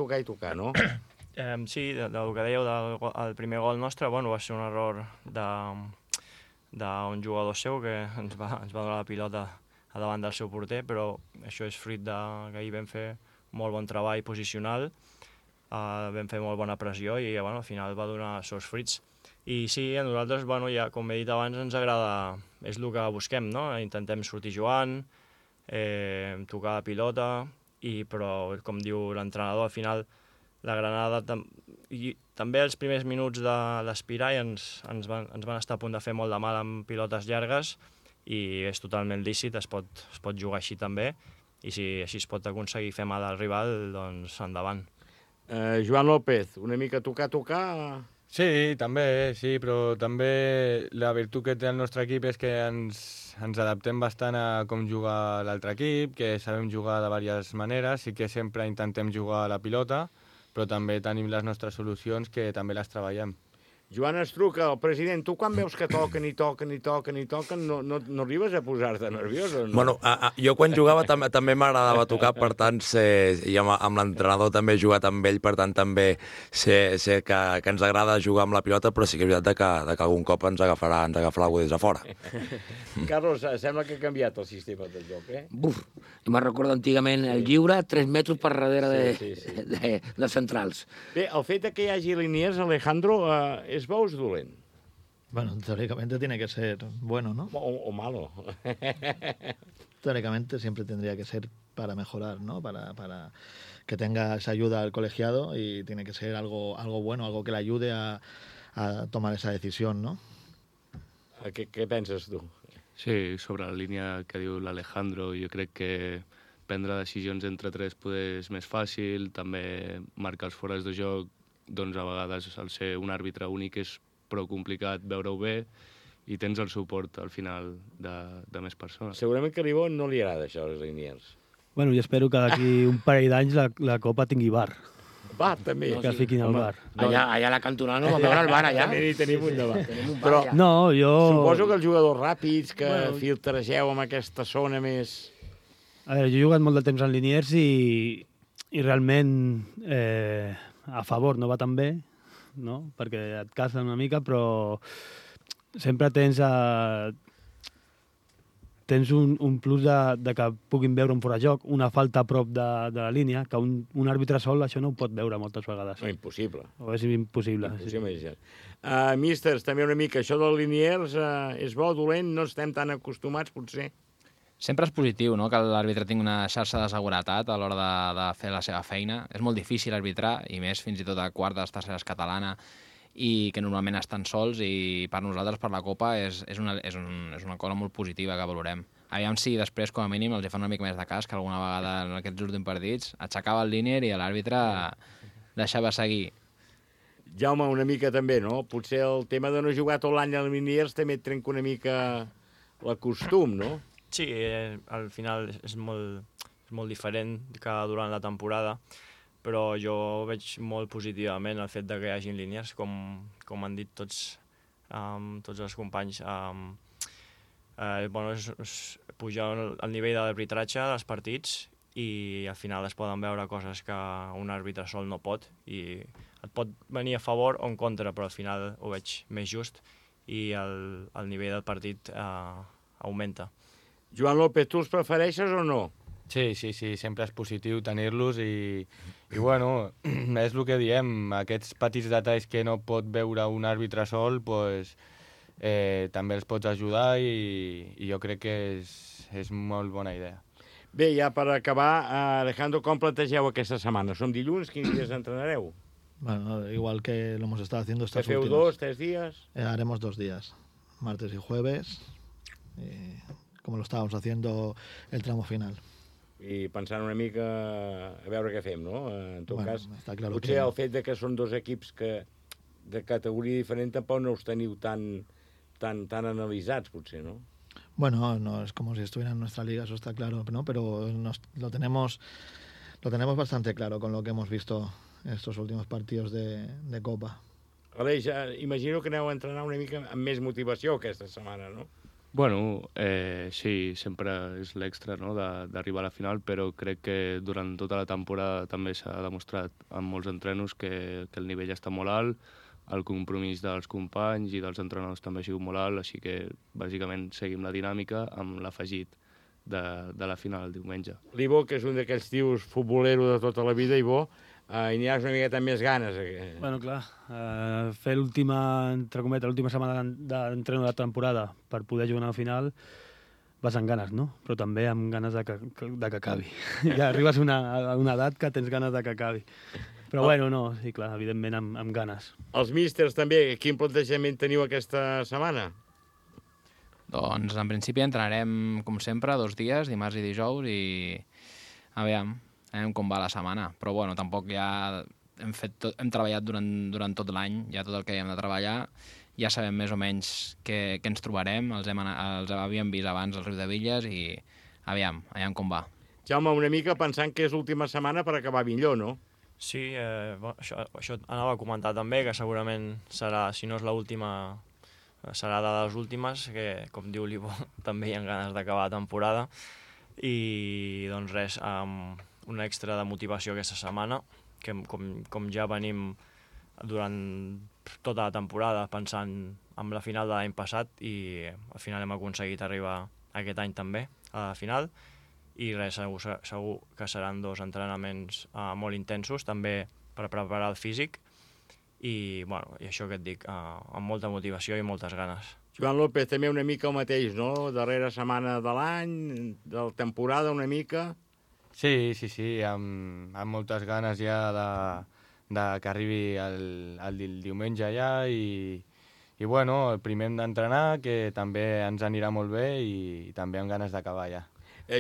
no? Sí, del que dèieu del primer gol nostre, bueno, va ser un error d'un jugador seu que ens va donar la pilota a davant del seu porter, però això és fruit que ahir vam fer molt bon treball posicional, vam fer molt bona pressió i al final va donar els seus fruits. I sí, a nosaltres, ja com he dit abans, ens agrada, és el que busquem, no? Intentem sortir jugant, tocar la pilota, però, com diu l'entrenador, al final la Granada també els primers minuts de l'Espirai ens van estar a punt de fer molt de mal amb pilotes llargues i és totalment lícit, es pot jugar així també, i si així es pot aconseguir fer mal al rival, doncs endavant. Joan López, una mica tocar... Sí, també, sí, però també la virtut que té el nostre equip és que ens adaptem bastant a com juga l'altre equip, que sabem jugar de diverses maneres, sí que sempre intentem jugar a la pilota, però també tenim les nostres solucions que també les treballem. Joan Estruca, el president, tu quan veus que toquen, no arribes a posar-te nerviós o no? Bueno, jo quan jugava també m'agradava tocar, per tant, i amb l'entrenador també he jugat amb ell, per tant també sé que ens agrada jugar amb la pilota, però sí que és veritat que algun cop ens agafarà algú des de fora. Carlos, sembla que ha canviat el sistema de joc, Buf, me'n recordo antigament el lliure 3 metres per darrere de centrals. Bé, el fet que hi hagi línies, Alejandro, ¿es bo o es dolent? Bueno, teóricamente tiene que ser bueno, ¿no? O malo. Teóricamente siempre tendría que ser para mejorar, ¿no? Para que tenga esa ayuda al colegiado y tiene que ser algo bueno, algo que le ayude a tomar esa decisión, ¿no? Què penses tu? Sí, sobre la línia que diu l'Alejandro, jo crec que prendre decisions entre tres poder és més fàcil, també marcar els fores de joc, doncs a vegades al ser un àrbitre únic és prou complicat veure-ho bé i tens el suport al final de més persones. Segurament que a l'Ivo no li agrada això, les línies. Bueno, jo espero que d'aquí un parell d'anys la Copa tingui bar. Bar, també. Que fiquin el bar. Allà a la cantonada no va veure el bar, allà. També tenim un de bar. Però no, jo... Suposo que els jugadors ràpids, que filtregeu amb aquesta zona més... A veure, jo he jugat molt de temps en Liniers i realment a favor no va tan bé, no? Perquè et casen una mica, però sempre tens tens un plus de que puguin veure un forajoc, una falta a prop de la línia, que un àrbitre sol això no ho pot veure moltes vegades. No, impossible. O és impossible. Impossible, sí. Místers, també una mica, això dels liniers és bo, dolent, no estem tan acostumats, potser. Sempre és positiu, no?, que l'àrbitre tingui una xarxa de seguretat a l'hora de fer la seva feina. És molt difícil arbitrar, i més fins i tot a quartes, terceres catalana, i que normalment estan sols, i per nosaltres, per la Copa, és una cosa molt positiva que valorem. Aviam si després, com a mínim, els fan una mica més de cas, que alguna vegada en aquests últims partits aixecava el línier i l'àrbitre deixava seguir. Jaume, una mica també, no? Potser el tema de no jugar tot l'any als liniers també et trenca una mica el costum, no? Sí, al final és molt diferent que durant la temporada, però jo veig molt positivament el fet de que hi hagin línies, com han dit tots els companys. És pujar el nivell d'arbitratge dels partits i al final es poden veure coses que un àrbitre sol no pot, i et pot venir a favor o en contra, però al final ho veig més just i el nivell del partit augmenta. Joan López, tu els prefereixes o no? Sí, sempre és positiu tenir-los i bueno, és el que diem, aquests petits detalls que no pot veure un àrbitre sol, pues, també els pots ajudar i jo crec que és molt bona idea. Bé, ja per acabar, Alejandro, com plantegeu aquesta setmana? Som dilluns, quins dies entrenareu? Bueno, igual que lo hemos estado haciendo estas últimas. ¿2, 3 días? Haremos 2 días, martes y jueves, como lo estábamos haciendo el tramo final. I pensant una mica a veure què fem, no? En tot cas, claro potser el fet de que són dos equips de categoria diferent tampoc no us teniu tan analitzats, potser, ¿no? Bueno, no es como si estuviera en nuestra liga, eso está claro, ¿no? Pero lo tenemos bastante claro con lo que hemos visto en estos últimos partidos de Copa. Aleix, imagino que aneu a entrenar una mica amb més motivació aquesta setmana, no? Bueno, sí, sempre és l'extra, no?, d'arribar a la final, però crec que durant tota la temporada també s'ha demostrat en molts entrenos que el nivell està molt alt, el compromís dels companys i dels entrenadors també ha sigut molt alt, així que bàsicament seguim la dinàmica amb l'afegit de la final el diumenge. L'Ivo, que és un d'aquells tios futbolero de tota la vida, Ivo, hi aniràs una miqueta amb més ganes. Bueno, clar, fer l'última setmana d'entreno de la temporada per poder jugar a la final vas amb ganes, no? Però també amb ganes de que acabi. Ja arribes a una edat que tens ganes de que acabi. Però bueno, no, sí, clar, evidentment amb ganes. Els místers també, quin plantejament teniu aquesta setmana? Doncs en principi entrenarem, com sempre, 2 dies, dimarts i dijous, i aviam com va la setmana. Però bueno, tampoc ja hem treballat durant tot l'any, ja tot el que hem de treballar, ja sabem més o menys què ens trobarem, els havíem vist abans al Riu de Villes i aviam com va. Jaume, una mica pensant que és l'última setmana per acabar millor, no? Sí, això anava a comentar també, que segurament serà, si no és l'última, serà de les últimes, que, com diu l'Ivo, també hi ha ganes d'acabar la temporada. I, doncs res, un extra de motivació aquesta setmana, que com ja venim durant tota la temporada pensant en la final de l'any passat, i al final hem aconseguit arribar aquest any també a la final. I res, segur que seran 2 entrenaments molt intensos, també per preparar el físic, i això que et dic, amb molta motivació i moltes ganes. Joan López, també una mica el mateix, no? Darrera setmana de l'any, de la temporada una mica. Sí, amb moltes ganes ja que arribi el diumenge ja, i bueno, primer hem d'entrenar, que també ens anirà molt bé, i també amb ganes d'acabar ja.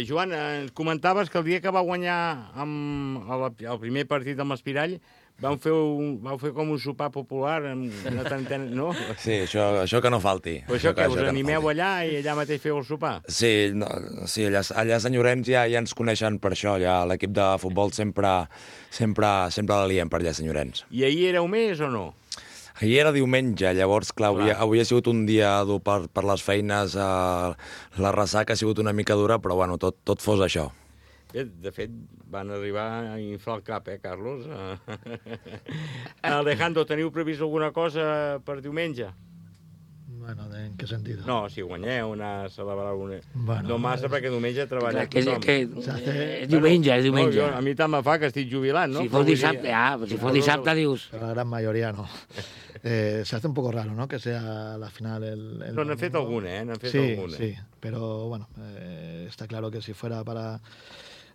Joan, ens comentaves que el dia que va guanyar el primer partit amb l'Espirall vau fer com un sopar popular, no? Sí, això que no falti. Però això que us animeu allà i allà mateix feu el sopar? Sí, allà a Sant Llorenç ja ens coneixen per això, ja l'equip de futbol sempre la liem per allà a Sant Llorenç. I ahir éreu més o no? Ahir era diumenge, llavors, clar, avui ha sigut un dia dur per les feines, la ressaca ha sigut una mica dura, però bueno, tot fos això. Bé, de fet, van arribar a inflar el cap, Carlos? Alejandro, teniu previst alguna cosa per diumenge? Bueno, en què sentit? No, si guanyeu, anar a celebrar alguna... Bueno, no massa, perquè diumenge treballar tothom. És diumenge, és diumenge. No, a mi tant me fa que estic jubilant, ¿no? Si fos dissabte, si fos dissabte dius... La gran mayoría no. Se hace un poco raro, ¿no? Que sea la final No, n'han fet alguna, ¿eh? N'han fet alguna. Sí, pero bueno, está claro que si fuera para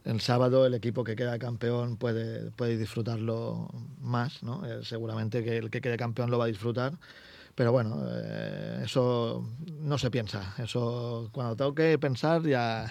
el sábado el equipo que queda campeón puede disfrutarlo más, ¿no? Seguramente que el que quede campeón lo va a disfrutar, pero bueno, eso no se piensa. Eso cuando toque pensar ya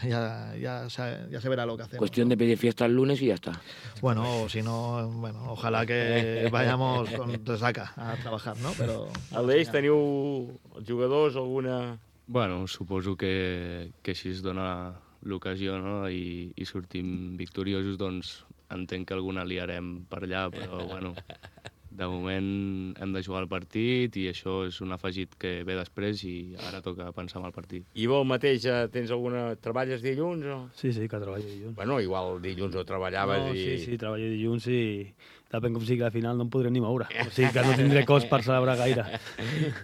se verá lo que hacemos. Cuestión de pedir fiesta el lunes y ya está. Bueno, o si no, bueno, ojalá que vayamos con resaca a trabajar, ¿no? Pero... Aleix, teniu els jugadors alguna... Bueno, suposo que si es dona l'ocasió, no?, i sortim victoriosos, doncs entenc que alguna liarem per allà, però bueno, de moment hem de jugar el partit i això és un afegit que ve després i ara toca pensar en el partit. I vol mateix, tens alguna... Treballes dilluns? O... Sí, que treballo dilluns. Bueno, igual dilluns ho treballaves no, i... Sí, treballo dilluns i depèn com sigui la final no em podré ni moure. O sigui que no tindré cos per celebrar gaire.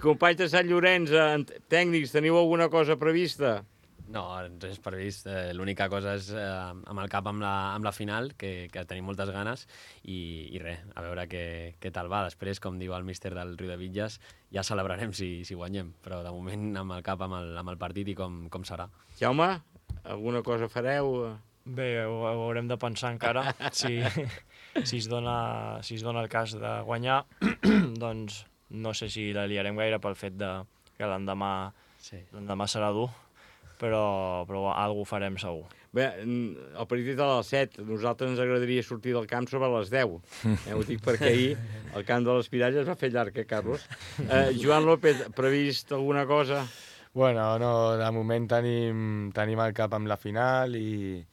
Companys de Sant Llorenç, tècnics, teniu alguna cosa prevista? No, res previst. L'única cosa és amb el cap amb la final, que tenim moltes ganes, i res, a veure què tal va. Després, com diu el míster del Riudebitlles, ja celebrarem si guanyem, però de moment amb el cap amb el partit i com serà. Jaume, alguna cosa fareu? Bé, ho haurem de pensar encara. Si es dona el cas de guanyar, doncs no sé si la liarem gaire pel fet que l'endemà serà dur, però alguna farem segur. Bé, el partit a les 7, nosaltres ens agradaria sortir del camp sobre les 10. Ho dic perquè ahir el camp de l'Espirall es va fer llarg, Carlos? Joan López, previst alguna cosa? Bueno, no, de moment tenim el cap amb la final i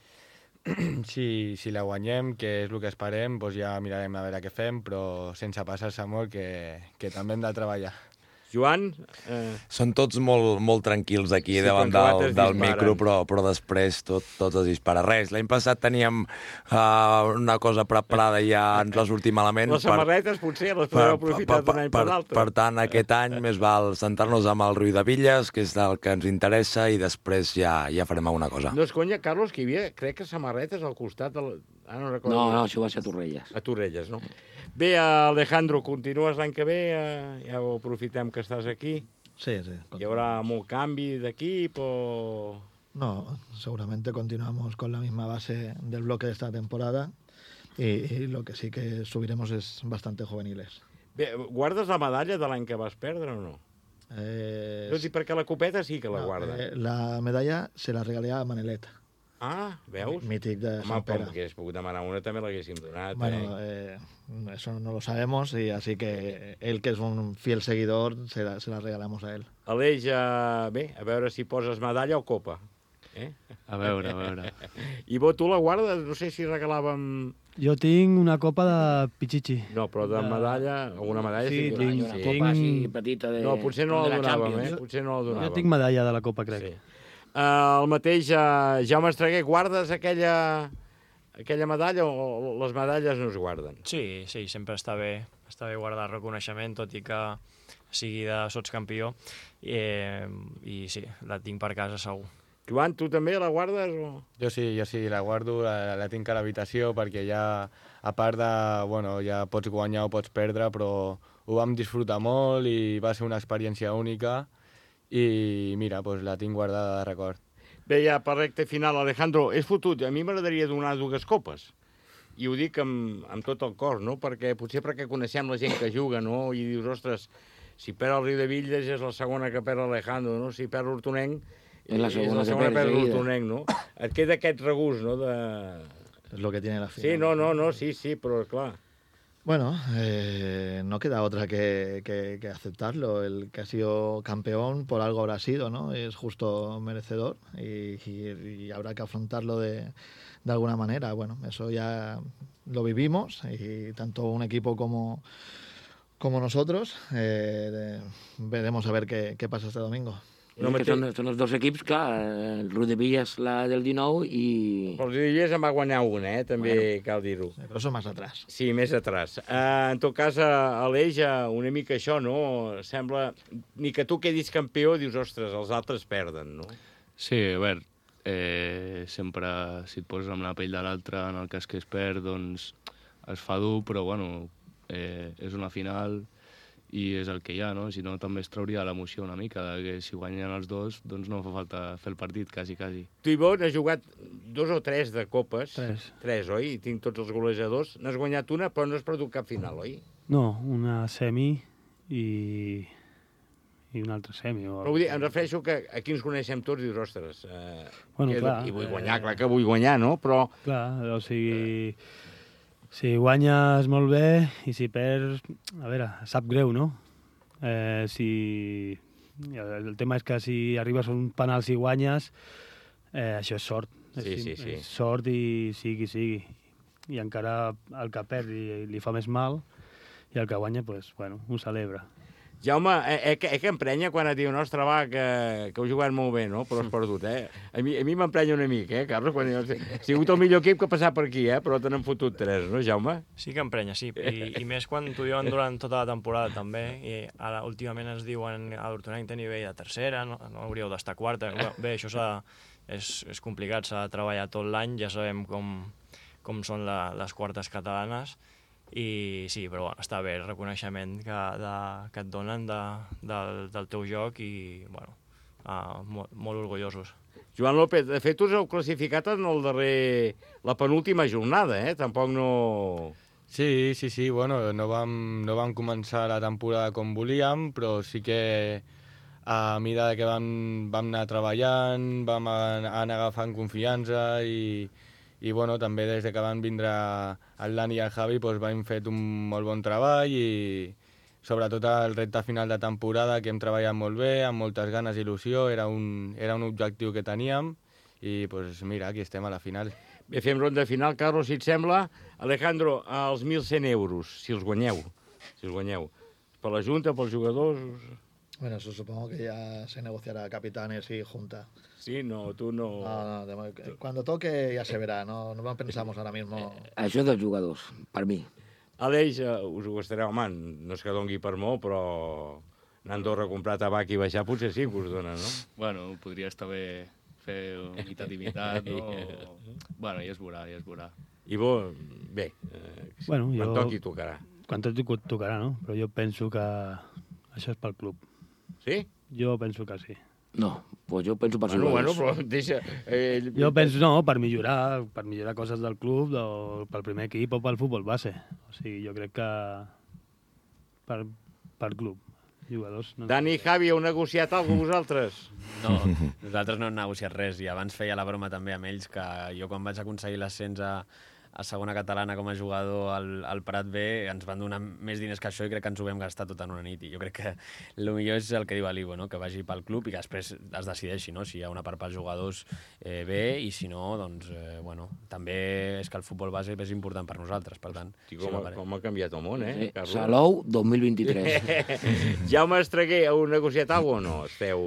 si la guanyem, que és el que esperem, doncs ja mirarem a veure què fem, però sense passar-se molt, que també hem de treballar. Joan? Són tots molt tranquils aquí davant del micro, però després tot es dispara. Res, l'any passat teníem una cosa preparada i ja ens va sortir malament. Les samarretes potser les podeu aprofitar d'un any per l'altre. Per tant, aquest any més val centrar-nos amb el Riudebitlles, que és el que ens interessa, i després ja farem alguna cosa. No és conya, Carlos, que hi havia, crec que samarretes al costat del... No, això va ser a Torrelles. A Torrelles, no? Bé, Alejandro, continues l'any que ve? Ja ho aprofitem que estàs aquí. Sí. ¿Hi haurà molt canvi d'equip o...? No, seguramente continuamos con la misma base del bloque de esta temporada y lo que sí que subiremos es bastante juveniles. Bé, guardes la medalla de l'any que vas perdre o no? No dic perquè la copeta sí que la guarda. La medalla se la regalé a Manelet. Ah, veus? Mític de Sant Pere. Home, que hagués pogut demanar una també l'haguéssim donat. Bueno, eso no lo sabemos, y así que él, que es un fiel seguidor, se la regalamos a él. Aleix, bé, a veure si poses medalla o copa. A veure. I tu la guardes? No sé si regalàvem... Jo tinc una copa de Pichichi. No, però de medalla, alguna medalla... Sí, tinc una copa així petita de... No, potser no la donàvem, Potser no la donàvem. Jo tinc medalla de la copa, crec. Sí. El mateix, Jaume Estreguer, guardes aquella medalla o les medalles no es guarden? Sí, sempre està bé guardar reconeixement, tot i que sigui de sotscampió, i sí, la tinc per casa segur. Joan, tu també la guardes? O? Jo sí, la guardo, la tinc a l'habitació perquè ja, a part de, bueno, ja pots guanyar o pots perdre, però ho vam disfrutar molt i va ser una experiència única. I mira, doncs la tinc guardada de record. Bé, ja per recte final, Alejandro, és fotut. A mi m'agradaria donar 2 copes. I ho dic amb tot el cor, no? Perquè coneixem la gent que juga, no? I dius, ostres, si perd el Riudebitlles és la segona que perd Alejandro, no? Si perd l'Hortonenc és la segona que perd l'Hortonenc, no? Et queda aquest regust, no? És lo que tiene la final. Sí, però clar... Bueno, no queda otra que aceptarlo. El que ha sido campeón por algo habrá sido, ¿no? Es justo merecedor y habrá que afrontarlo de alguna manera. Bueno, eso ya lo vivimos y tanto un equipo como nosotros veremos a ver qué pasa este domingo. Són els dos equips, clar, el Rodevilla és la del 19 i... Però el Rodevilla en va guanyar una, també cal dir-ho. Però són més atrás. Sí, més atrás. En tot cas, Aleix, una mica això, no? Sembla, ni que tu quedis campió, dius, ostres, els altres perden, no? Sí, a veure, sempre si et poses amb la pell de l'altre, en el cas que es perd, doncs es fa dur, però bueno, és una final i és el que hi ha, no? Si no, també es trauria l'emoció una mica, que si guanyen els dos, doncs no fa falta fer el partit, quasi. Tu, Ivo, n'has jugat 2 o 3 de copes. 3. 3, oi? Tinc tots els golejadors. N'has guanyat una, però no has perdut cap final, oi? No, una semi i una altra semi. Però vull dir, em refereixo que aquí ens coneixem tots i dius, ostres, clar, i vull guanyar, clar que vull guanyar, no? Però... Clar, o sigui... Si guanyes molt bé i si perds, a veure, sap greu, no? El tema és que si arribes a un penal i guanyes, això és sort. Sí. És sort i sigui. I encara el que perd li fa més mal i el que guanya, pues, bueno, ho celebra. Jaume, que emprenya quan et diuen, ostres, va, que heu jugat molt bé, no? Però has perdut, A mi m'emprenya una mica, Carlos? Quan ha sigut el millor equip que ha passat per aquí, però te n'han fotut 3, no, Jaume? Sí que emprenya, sí. I més quan t'ho diuen durant tota la temporada, també. I ara, últimament ens diuen a l'Hortonenc té nivell de tercera, no hauríeu d'estar quarta. Bé, això és complicat, s'ha de treballar tot l'any, ja sabem com són les quartes catalanes. I sí, però bueno, està bé el reconeixement que et donen del teu joc i bueno, molt orgullosos. Joan López, de fet us heu classificat en la penúltima jornada, Tampoc no... Sí, bueno, no vam començar la temporada com volíem, però sí que a mesura que vam anar treballant, vam anar agafant confiança i bueno, també des que van vindre el Dani i el Javi doncs hem fet un molt bon treball i sobretot el repte final de temporada que hem treballat molt bé, amb moltes ganes i il·lusió, era un objectiu que teníem i doncs mira, aquí estem a la final. Bé, fem ronda final. Carlos, si et sembla, Alejandro, els 1.100 euros, si els guanyeu. Per la Junta, pels jugadors... Bueno, eso supongo que ya se negociará capitanes y junta. Sí, no, tú no... No, cuando toque ya se verá, no pensamos ahora mismo... Això dels jugadors, per mi. Aleix, us ho gastareu, home, no és que dongui per molt, però anar a Andorra a comprar tabac i baixar potser sí que us dona, no? Bueno, podria estar bé fer mitat i mitat, no? Bueno, ja es veurà. I bo, bé, bueno, quan toqui tocarà. Quan tocarà, no? Però jo penso que això és pel club. Sí? Jo penso que sí. No, pues jo penso per Bueno, però deixa... Jo penso, no, per millorar coses del club, pel primer equip o pel futbol base. O sigui, jo crec que per club, jugadors... No. Dani i Javi, heu negociat alguna cosa vosaltres? No, nosaltres no hem negociat res i abans feia la broma també amb ells que jo quan vaig aconseguir l'ascens a segona catalana com a jugador al Prat B ens van donar més diners que això i crec que ens ho vam gastar tot en una nit i jo crec que el millor és el que diu l'Ivo, no? Que vagi pel club i que després es decideixi, no? Si hi ha una part pels jugadors bé i si no, doncs, bueno, també és que el futbol base és important per nosaltres, per tant... Com ha canviat el món, Carlos? Salou 2023. Jaume Estreguer, heu negociat alguna cosa o no? Esteu...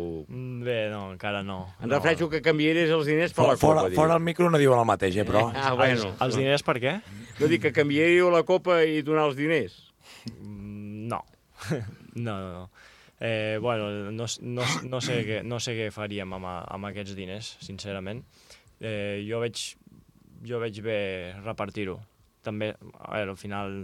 Bé, no, encara no. Em refereixo que canviaries els diners per la Copa. Fora el micro no diuen el mateix, però... Bueno. Els diners per què? No dic que canviaríeu la Copa i donar els diners. No. No. Bueno, no sé què faríem amb aquests diners, sincerament. Jo veig bé repartir-ho. També, a veure, al final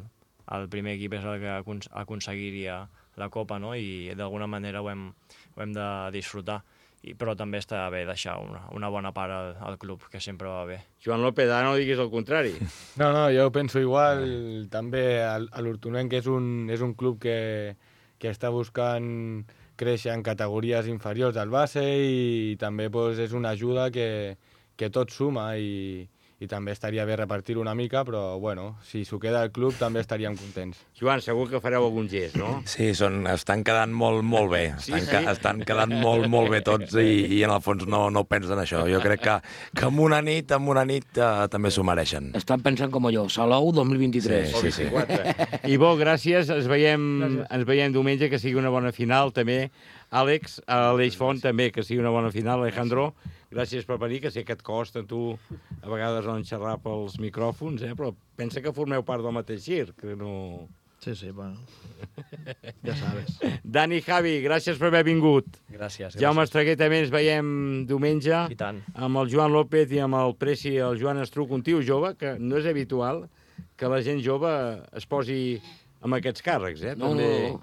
el primer equip és el que aconseguiria la Copa, no? I d'alguna manera ho hem de disfrutar. Però també està bé deixar una bona part al club, que sempre va bé. Joan López, ara no diguis el contrari. No, jo penso igual. També l'Hortonenc és un club que està buscant créixer en categories inferiors al base i també és una ajuda que tot suma i també estaria bé repartir una mica, però bueno, si s'ho queda al club també estaríem contents. Joan, segur que fareu algun gest, no? Sí, estan quedant molt bé. Estan quedant molt bé tots i en el fons no pensen això. Jo crec que amb una nit també s'ho mereixen. Estan pensant com jo, Salou 2023. Sí. I bo, gràcies. Ens veiem diumenge, que sigui una bona final també Àlex, a l'Eix Font també, que sigui una bona final. Alejandro, gràcies per venir, que sé que et costa a tu a vegades no xerrar pels micròfons, però pensa que formeu part del mateix circ, que no... Sí, bueno, ja sabes. Dani, Javi, gràcies per haver vingut. Gràcies. Jaume Estreguer, també ens veiem diumenge. I tant. Amb el Joan López i amb el Preci, el Joan Estruc, un tio jove, que no és habitual que la gent jove es posi amb aquests càrrecs, No, també...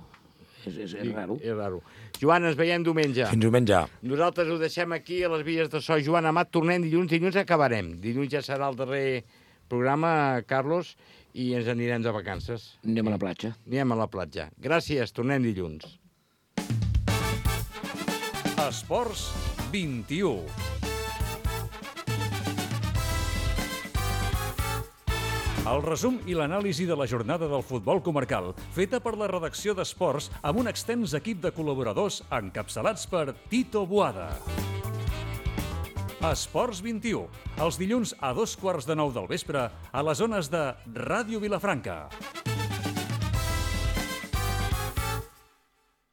és raro. És raro. Joan, ens veiem diumenge. Fins diumenge. Nosaltres ho deixem aquí a les Vies de So. Joan Amat, tornem dilluns acabarem. Dilluns ja serà el darrer programa, Carlos, i ens anirem de vacances. Anem a la platja. Anem a la platja. Gràcies, tornem dilluns. Esports 21. El resum i l'anàlisi de la jornada del futbol comarcal, feta per la redacció d'Esports amb un extens equip de col·laboradors encapçalats per Tito Boada. Esports 21, els dilluns a 2:15 del vespre a les zones de Ràdio Vilafranca.